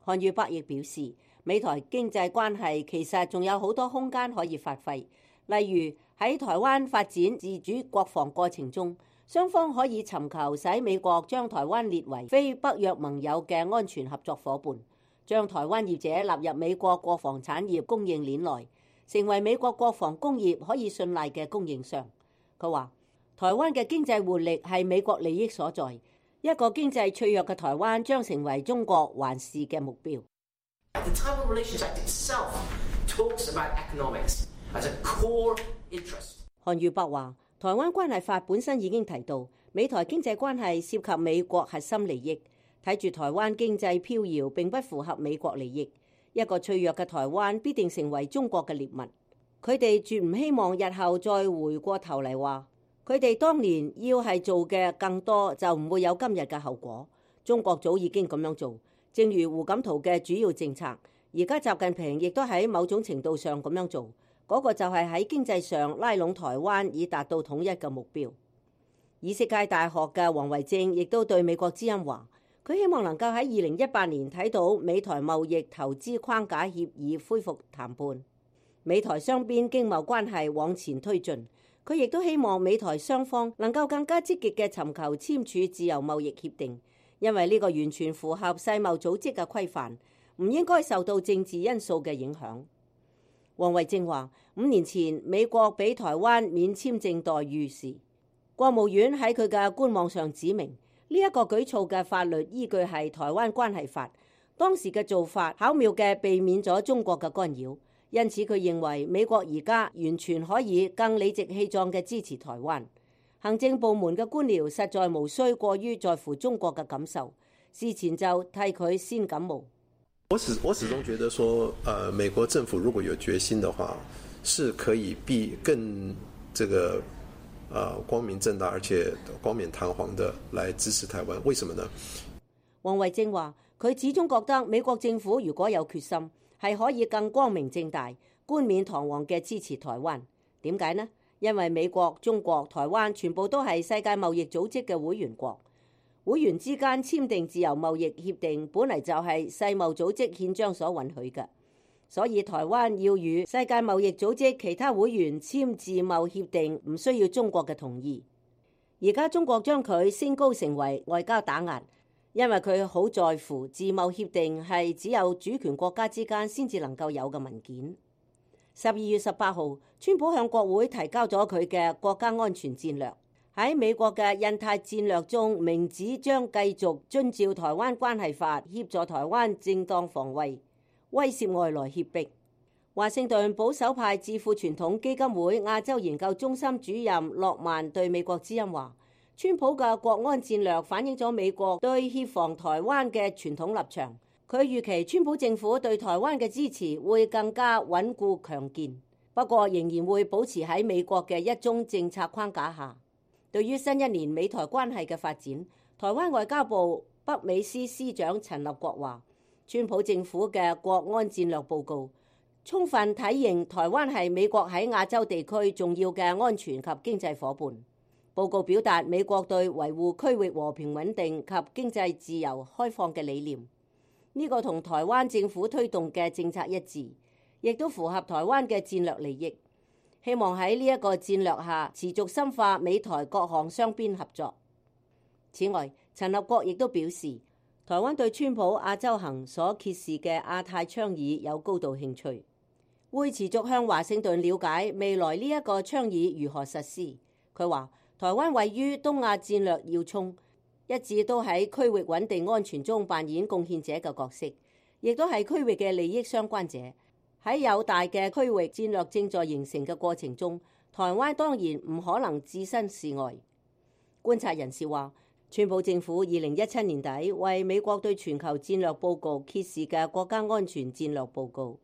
韓如伯亦表示，美台經濟關係其實仲有好多空間可以發揮，例如喺台灣發展自主國防過程中，雙方可以尋求使美國將台灣列為非北約盟友嘅安全合作夥伴，將台灣業者納入美國國防產業供應鏈內，成為美國國防工業可以信賴嘅供應商。佢話，台灣嘅經濟活力係美國利益所在，一個經濟脆弱嘅台灣將成為中國環視嘅目標。
The Taiwan Relations Act itself talks about economics as a core interest.
韓如伯話，台灣關係法本身已經提到，美台經濟關係涉及美國核心利益，睇住台灣經濟飄搖並不符合美國利益，一個脆弱嘅台灣必定成為中國嘅獵物。佢哋絕唔希望日後再回過頭嚟話，佢哋當年要係做嘅更多，就唔會有今日嘅後果。中國早已經咁樣做，正如胡錦濤嘅主要政策，而家習近平亦都喺某種程度上咁樣做，嗰、那個就係喺經濟上拉攏台灣以達到統一嘅目標。以色列大學嘅黃維正亦都對美國之音話，佢希望能夠喺二零一八年睇到美台貿易投資框架協議恢復談判，美台雙邊經貿關係往前推進。佢亦都希望美台雙方能夠更加積極嘅尋求簽署自由貿易協定，因為呢個完全符合世貿組織嘅規範，唔應該受到政治因素嘅影響。黃維正話，五年前美國俾台灣免簽證待遇時，國務院喺佢嘅官網上指明，呢、這、一個舉措嘅法律依據係台灣關係法，當時嘅做法巧妙嘅避免咗中國嘅干擾，因此佢認為美國而家完全可以更理直氣壯嘅支持台灣。行政部門嘅官僚實在無需過於在乎中國嘅感受，事前就替佢先感冒。
我始我始終覺得說，呃，美國政府如果有決心的話，是可以必更這個，呃，光明正大而且冠冕堂皇的來支持台灣。為什麼呢？
王惠正話：佢始終覺得美國政府如果有決心，係可以更光明正大、冠冕堂皇嘅支持台灣。點解呢？因為美國、中國、台灣全部都係世界貿易組織嘅會員國。會員之間簽訂自由貿易協定，本嚟就係世貿組織憲章所允許嘅，所以台灣要與世界貿易組織其他會員簽自貿協定，唔需要中國嘅同意。而家中國將佢升高成為外交打壓，因為佢好在乎自貿協定係只有主權國家之間先至能夠有嘅文件。十二月十八號，川普向國會提交咗佢嘅國家安全戰略。喺美國嘅印太戰略中，明指將繼續遵照台灣關係法協助台灣正當防衛，威懾外來脅迫。華盛頓保守派智庫傳統基金會亞洲研究中心主任諾曼對美國之音話：川普嘅國安戰略反映咗美國對協防台灣嘅傳統立場。佢預期川普政府對台灣嘅支持會更加穩固強健，不過仍然會保持喺美國嘅一中政策框架下。對於新一年美台關係嘅發展，台灣外交部北美司司長陳立國話：川普政府嘅國安戰略報告充分體現台灣係美國喺亞洲地區重要嘅安全及經濟夥伴。報告表達美國對維護區域和平穩定及經濟自由開放嘅理念，呢個同台灣政府推動嘅政策一致，亦都符合台灣嘅戰略利益。希望喺呢一個戰略下持續深化美台各項雙邊合作。此外，陳立國亦都表示，台灣對川普亞洲行所揭示嘅亞太倡議有高度興趣，會持續向華盛頓了解未來呢一個倡議如何實施。佢話：台灣位於東亞戰略要衝，一直都喺區域穩定安全中扮演貢獻者嘅角色，亦都係區域嘅利益相關者。喺有大嘅區域戰略正在形成嘅過程中，台灣當然唔可能置身事外。觀察人士話，川普政府二零一七年底為美國對全球戰略報告揭示嘅國家安全戰略報告，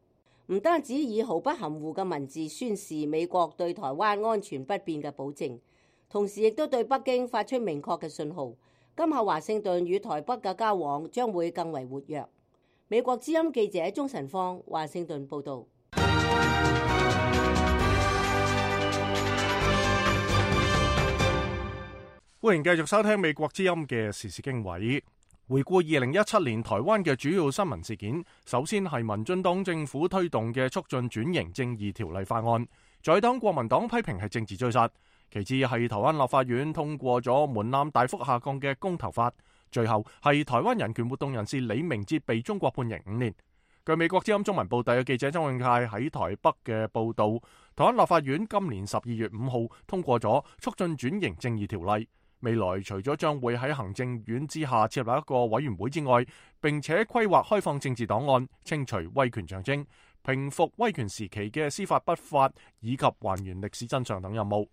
唔單止以毫不含糊嘅文字宣示美國對台灣安全不變嘅保證，同時亦都對北京發出明確嘅信號，今後華盛頓與台北嘅交往將會更為活躍。美國之音記者鍾晨芳華盛頓報道。
歡迎繼續收聽美國之音嘅時事經緯。回顧二零一七年台灣嘅主要新聞事件，首先係民進黨政府推動嘅促進轉型正義條例法案，在黨國民黨批評係政治追殺。其次係台灣立法院通過咗門檻大幅下降嘅公投法。最後係台灣人權活動人士李明哲被中國判刑五年。據美國之音中文報道嘅記者張永泰喺台北嘅報道，台灣立法院今年十二月五號通過咗促進轉型正義條例，未來除咗將會喺行政院之下設立一個委員會之外，並且規劃開放政治檔案、清除威權象徵、平復威權時期嘅司法不法以及還原歷史真相等任務。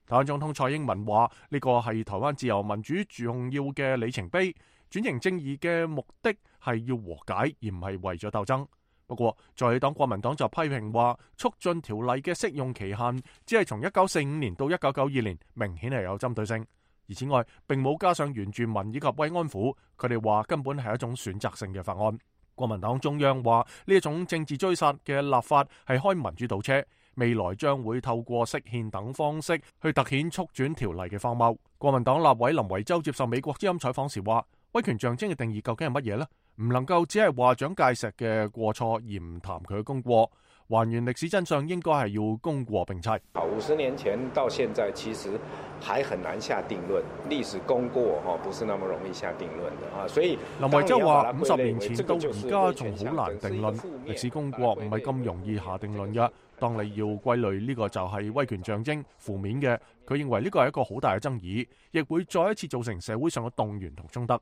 台灣總統蔡英文話：呢個係台灣自由民主重要嘅里程碑。轉型正義嘅目的係要和解，而唔係為咗鬥爭。不過，在黨國民黨就批評話，促進條例嘅適用期限只係從一九四五年到一九九二年，明顯係有針對性。而此外，並冇加上原住民以及慰安婦，佢哋話根本係一種選擇性嘅法案。國民黨中央話呢一種政治追殺嘅立法係開民主倒車。未來將會透過釋憲等方式去突顯促轉條例嘅荒謬。國民黨立委林維洲接受美國之音採訪時話：威權象徵嘅定義究竟係乜嘢呢？唔能夠只係話蔣介石嘅過錯而唔談佢嘅功過。還原歷史真相應該係要功過並齊。
五十年前到現在，其實還很難下定論。歷史功過哈，不是那麼容易下定論的啊。所以
林維洲話：五十年前到而家仲好難定論，歷史功過唔係咁容易下定論嘅。當你要歸類呢個就係威權象徵負面嘅，佢認為呢個係一個好大嘅爭議，亦會再一次造成社會上嘅動員同衝突。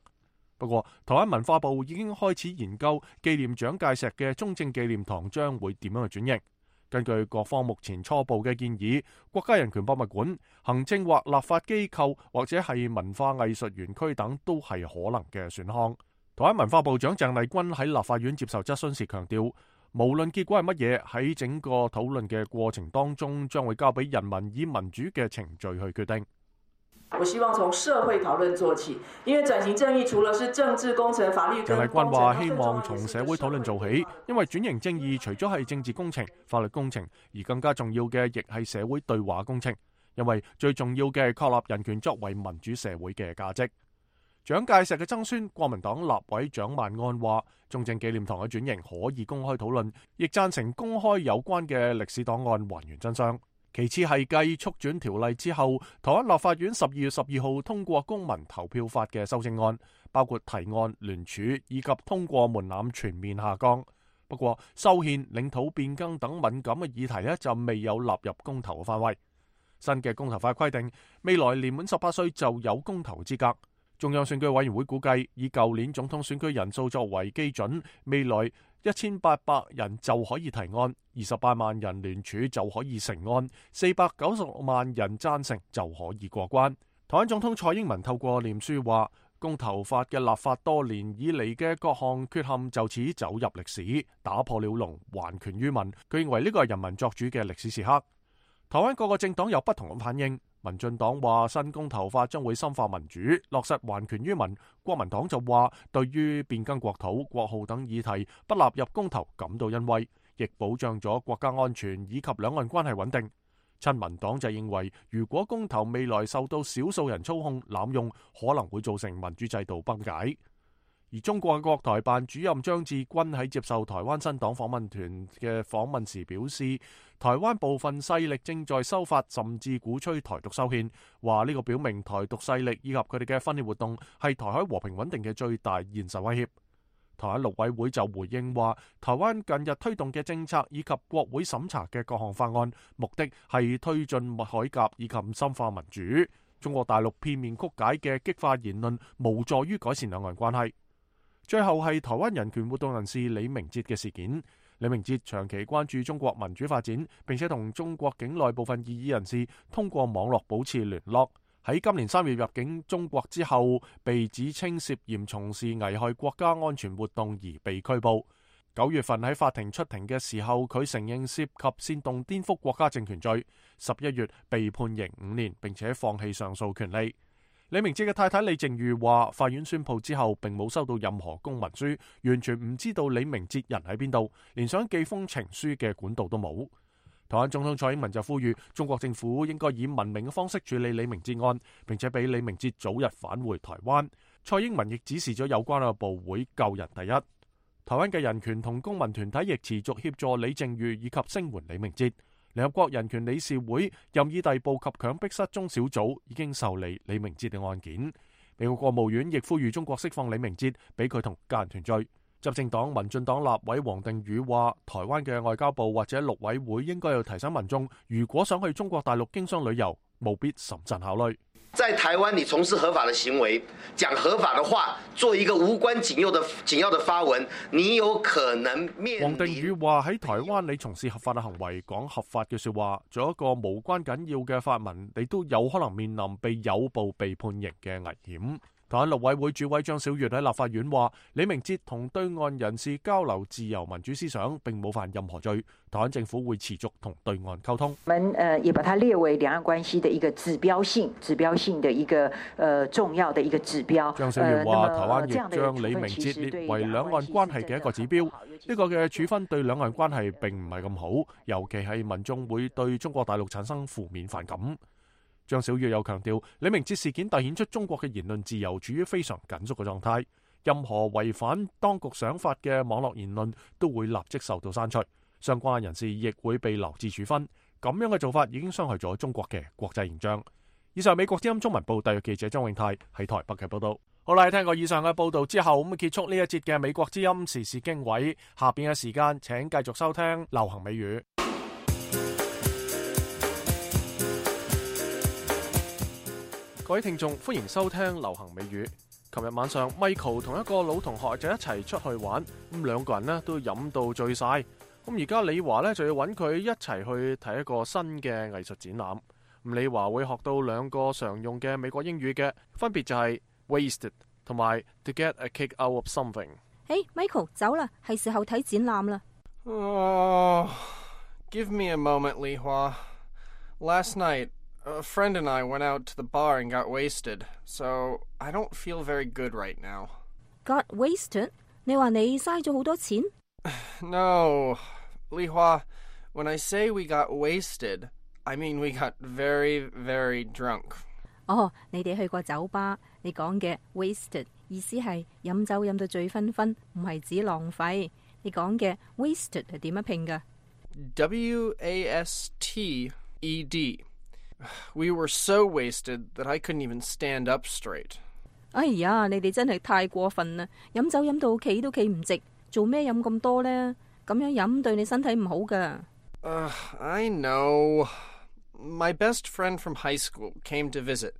不過，台灣文化部已經開始研究紀念蔣介石嘅中正紀念堂將會點樣去轉型。根據各方目前初步嘅建議，國家人權博物館、行政或立法機構或者係文化藝術園區等都係可能嘅選項。台灣文化部長鄭麗君喺立法院接受質詢時強調，無論結果係乜嘢，喺整個討論嘅過程當中，將會交俾人民以民主嘅程序去決定。
我希望從社會討論做起，因為轉型正義除了是政治工程、法律。鄭
麗君話：希望從社會討論做起，因為轉型正義除咗係政治工程、法律工程，而更加重要嘅亦係社會對話工程。因為最重要嘅係確立人權作為民主社會嘅價值。蔣介石嘅曾孫國民黨立委蔣萬安話：中正紀念堂嘅轉型可以公開討論，亦贊成公開有關嘅歷史檔案，還原真相。其次係繼促轉條例之後，台灣立法院十二月十二號通過公民投票法嘅修正案，包括提案、聯署以及通過門檻全面下降。不過，修憲、領土變更等敏感嘅議題呢，就未有納入公投嘅範圍。新嘅公投法規定，未來年滿十八歲就有公投資格。中央選舉委員會估計，以舊年總統選舉人數作為基準，未來一千八百人就可以提案，二十八萬人聯署就可以成案，四百九十六萬人贊成就可以過關。台灣總統蔡英文透過臉書話，公投法嘅立法多年以嚟嘅各項缺陷就此走入歷史，打破了龍，還權於民。佢認為呢個係人民作主嘅歷史時刻。台灣各個政黨有不同嘅反應。民進黨話新公投法將會深化民主，落實還權於民。國民黨就話對於變更國土、國號等議題不納入公投感到欣慰，亦保障咗國家安全以及兩岸關係穩定。親民黨就認為，如果公投未來受到少數人操控濫用，可能會造成民主制度崩解。而中國國台辦主任張志軍喺接受台灣新黨訪問團嘅訪問時表示，台灣部分勢力正在修法，甚至鼓吹台獨修憲，話呢個表明台獨勢力以及佢哋嘅分裂活動係台海和平穩定嘅最大現實威脅。台灣陸委會就回應話，台灣近日推動嘅政策以及國會審查嘅各項法案，目的係推進改革以及深化民主。中國大陸片面曲解嘅激化言論，無助於改善兩岸關係。最後係台灣人權活動人士李明哲嘅事件。李明哲長期關注中國民主發展，並且同中國境內部分異議人士通過網絡保持聯絡。喺今年三月入境中國之後，被指稱涉嫌從事危害國家安全活動而被拘捕。九月份喺法庭出庭嘅時候，佢承認涉及煽動顛覆國家政權罪。十一月被判刑五年，並且放棄上訴權利。李明哲嘅太太李淨瑜話，法院宣布之後並冇收到任何公文書，完全唔知道李明哲人喺邊度，連想寄封情書嘅管道都冇。台灣總統蔡英文就呼籲中國政府應該以文明嘅方式處理李明哲案，並且俾李明哲早日返回台灣。蔡英文亦指示咗有關嘅部會救人第一。台灣嘅人權同公民團體亦持續協助李淨瑜以及聲援李明哲。聯合國人權理事會任意逮捕及強迫失蹤小組已經受理李明哲嘅案件。美國國務院亦呼籲中國釋放李明哲，俾佢同家人團聚。執政黨民進黨立委黃定宇話，台灣嘅外交部或者陸委會應該要提醒民眾，如果想去中國大陸經商旅遊，務必審慎考慮。
在台灣，你從事合法的行為，講合法的話，做一個無關緊要的緊要的發文，你有可能面臨。
黃定宇話喺台灣，你從事合法嘅行為，講合法嘅說話，做一個無關緊要嘅發文，你都有可能面臨被誘捕、被判刑嘅危險。台灣陸委會主委張小月喺立法院話，李明哲同對岸人士交流自由民主思想，並冇犯任何罪。台灣政府會持續同對岸溝通。
我們誒也把它列為兩岸關係的一個指標性、指標性的一個誒重要的一個指標。
張小月話，台灣亦將李明哲列為兩岸關係嘅一個指標。呢個嘅處分對兩岸關係並唔係咁好，尤其係民眾會對中國大陸產生負面反感。張小月又強調，李明哲事件凸顯出中國嘅言論自由處於非常緊縮嘅狀態，任何違反當局想法嘅網絡言論都會立即受到刪除，相關人士亦會被留置處分。咁樣嘅做法已經傷害咗中國嘅國際形象。以上美國之音中文報特約記者張永泰喺台北嘅報道。好啦，聽過以上嘅報道之後，咁結束呢一節嘅美國之音時事經緯。下邊嘅時間，請繼續收聽流行美語。各位聽眾，歡迎收聽流行美語。琴日晚上 Michael 同一個老同學就一齊出去玩，咁兩個人呢都飲到醉晒。咁而家李華呢就要揾佢一齊去睇一個新嘅藝術展覽。咁李華會學到兩個常用嘅美國英語嘅，分別就係 wasted 同埋 to get a kick out of something。
誒、hey, ，Michael 走啦，係時候睇展覽啦。
Oh, give me a moment, Li Hua. Last night, a friend and I went out to the bar and got wasted, so I don't feel very good right now.
Got wasted? 你話你嘥咗好多錢？
No, Li Hua, when I say we got wasted, I mean we got very, very drunk.
哦，你哋去過酒吧，你講嘅 wasted 意思係飲酒飲到醉醺醺，唔係指浪費。你講嘅 wasted 係點樣拼㗎？
W A S T E D. We were so wasted that I couldn't even stand up straight.
哎呀，你哋真係太過分啦！飲酒飲到企都企唔直，做咩飲咁多呢？咁樣飲對你身體唔好㗎。
Uh, I know. My best friend from high school came to visit,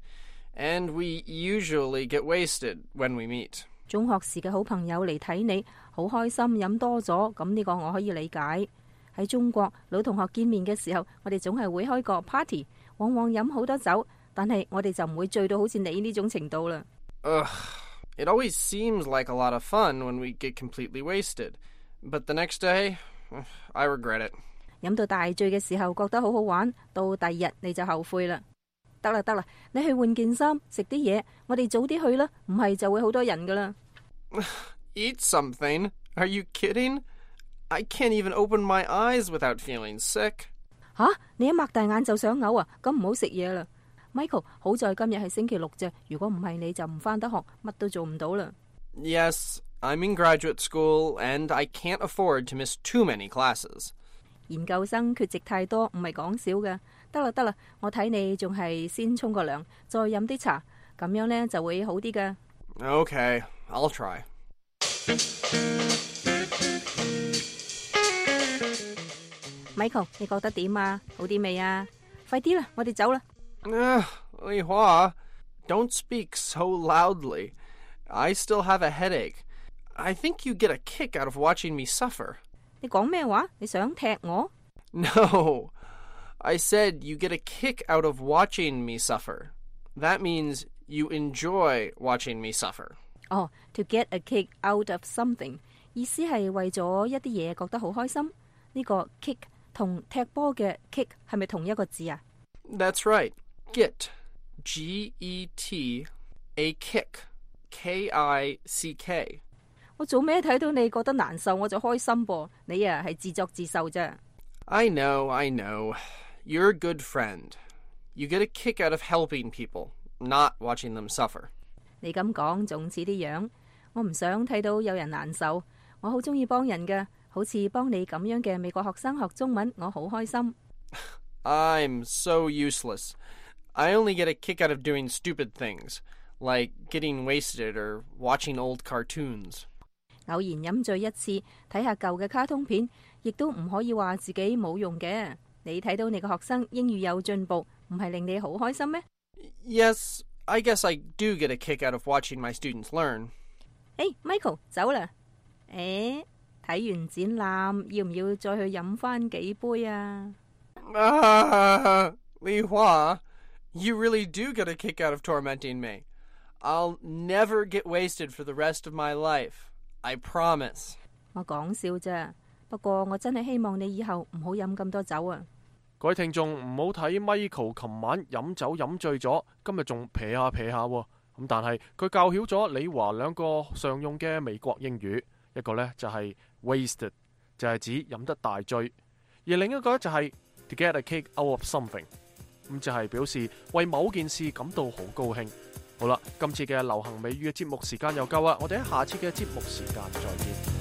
and we usually get wasted when we meet.
中學時嘅好朋友嚟睇你，好開心，飲多咗，咁呢個我可以理解。喺中國，老同學見面嘅時候，我哋總係會開個 party， 往往飲好多酒，但係我哋就唔會醉到好似你呢種程度啦。
Ugh, it always seems like a lot of fun when we get completely wasted, but the next day, I regret it.
飲到大醉嘅時候覺得好好玩，到第二日你就後悔啦。得啦得啦，你去換件衫，食啲嘢，我哋早啲去啦，唔係就會好多人噶啦。
Eat something? Are you kidding? I can't even open my eyes without feeling sick.
吓，你一擘大眼就想嘔啊？咁唔好食嘢啦。Michael， 好在今日係星期六啫，如果唔係你就唔返得學，乜都做唔到啦。
Yes, I'm in graduate school and I can't afford to miss too many classes.
研究生缺席太多，唔係講笑㗎。得啦得啦，我睇你仲係先沖個涼，再飲啲茶，咁樣呢就會好啲㗎。
Okay, I'll try.
Michael， 你覺得點啊？好啲未啊？快啲啦，我哋走啦。
Uh, Li Hua, don't speak so loudly. I still have a headache. I think you get a kick out of watching me suffer.
你講咩話？你想踢我？
No, I said you get a kick out of watching me suffer. That means you enjoy watching me suffer.
哦、oh, to get a kick out of something 意思係為咗一啲嘢覺得好開心。呢、這個 kick 同踢波嘅 kick 係咪同一個字啊？
That's right. Get, G E T, a kick, K I C K.
我做咩睇到你覺得難受我就開心噃？你啊係自作自受啫。
I know, I know. You're a good friend. You get a kick out of helping people, not watching them suffer.
你咁講仲似啲樣，我唔想睇到有人難受。我好中意幫人㗎，好似幫你咁樣嘅美國學生學中文，我好開心。
I'm so useless. I only get a kick out of doing stupid things, like getting wasted or watching old cartoons.
偶然飲醉一次，睇下舊嘅卡通片，亦都唔可以話自己冇用嘅。你睇到你個學生英語有進步，唔係令你好開心咩？
Yes, I guess I do get a kick out of watching my students learn.
Hey, Michael, 走啦！誒，睇完展覽，要唔要再去飲返幾杯啊？
Ah, Li Hua, you really do get a kick out of tormenting me. I'll never get wasted for the rest of my life. I promise.
我講笑啫，不過我真係希望你以後唔好飲咁多酒啊！
各位聽眾唔好睇 Michael 琴晚飲酒飲醉咗，今日仲撇下撇下喎。咁但係佢教曉咗李華兩個常用嘅美國英語，一個呢就係 wasted， 就係指飲得大醉，而另一個呢就係 to get a kick out of something， 咁就係表示為某件事感到好高興。好啦，今次嘅流行美語嘅節目時間又夠啦，我哋喺下次嘅節目時間再見。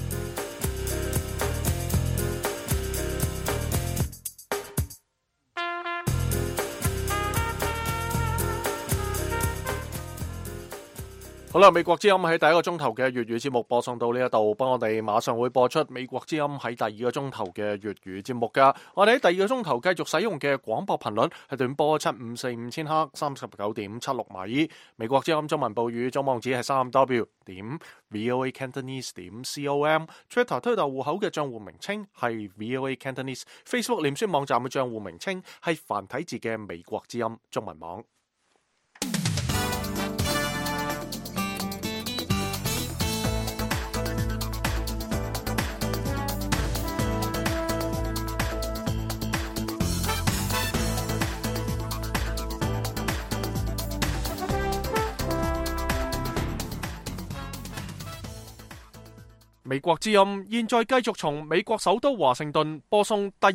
好啦，美國之音喺第一個鐘頭嘅粵語節目播送到呢一度，幫我哋馬上會播出美國之音喺第二個鐘頭嘅粵語節目噶。我哋喺第二個鐘頭繼續使用嘅廣播頻率係短波七五四五千赫三十九點七六米。美國之音中文報語總網址係三 W 點 VOA Cantonese 點 com。Twitter 推特戶口嘅賬戶名稱係 VOA Cantonese。Facebook 臉書網站嘅賬戶名稱係繁體字嘅美國之音中文網。美國之音現在繼續從美國首都華盛頓播送第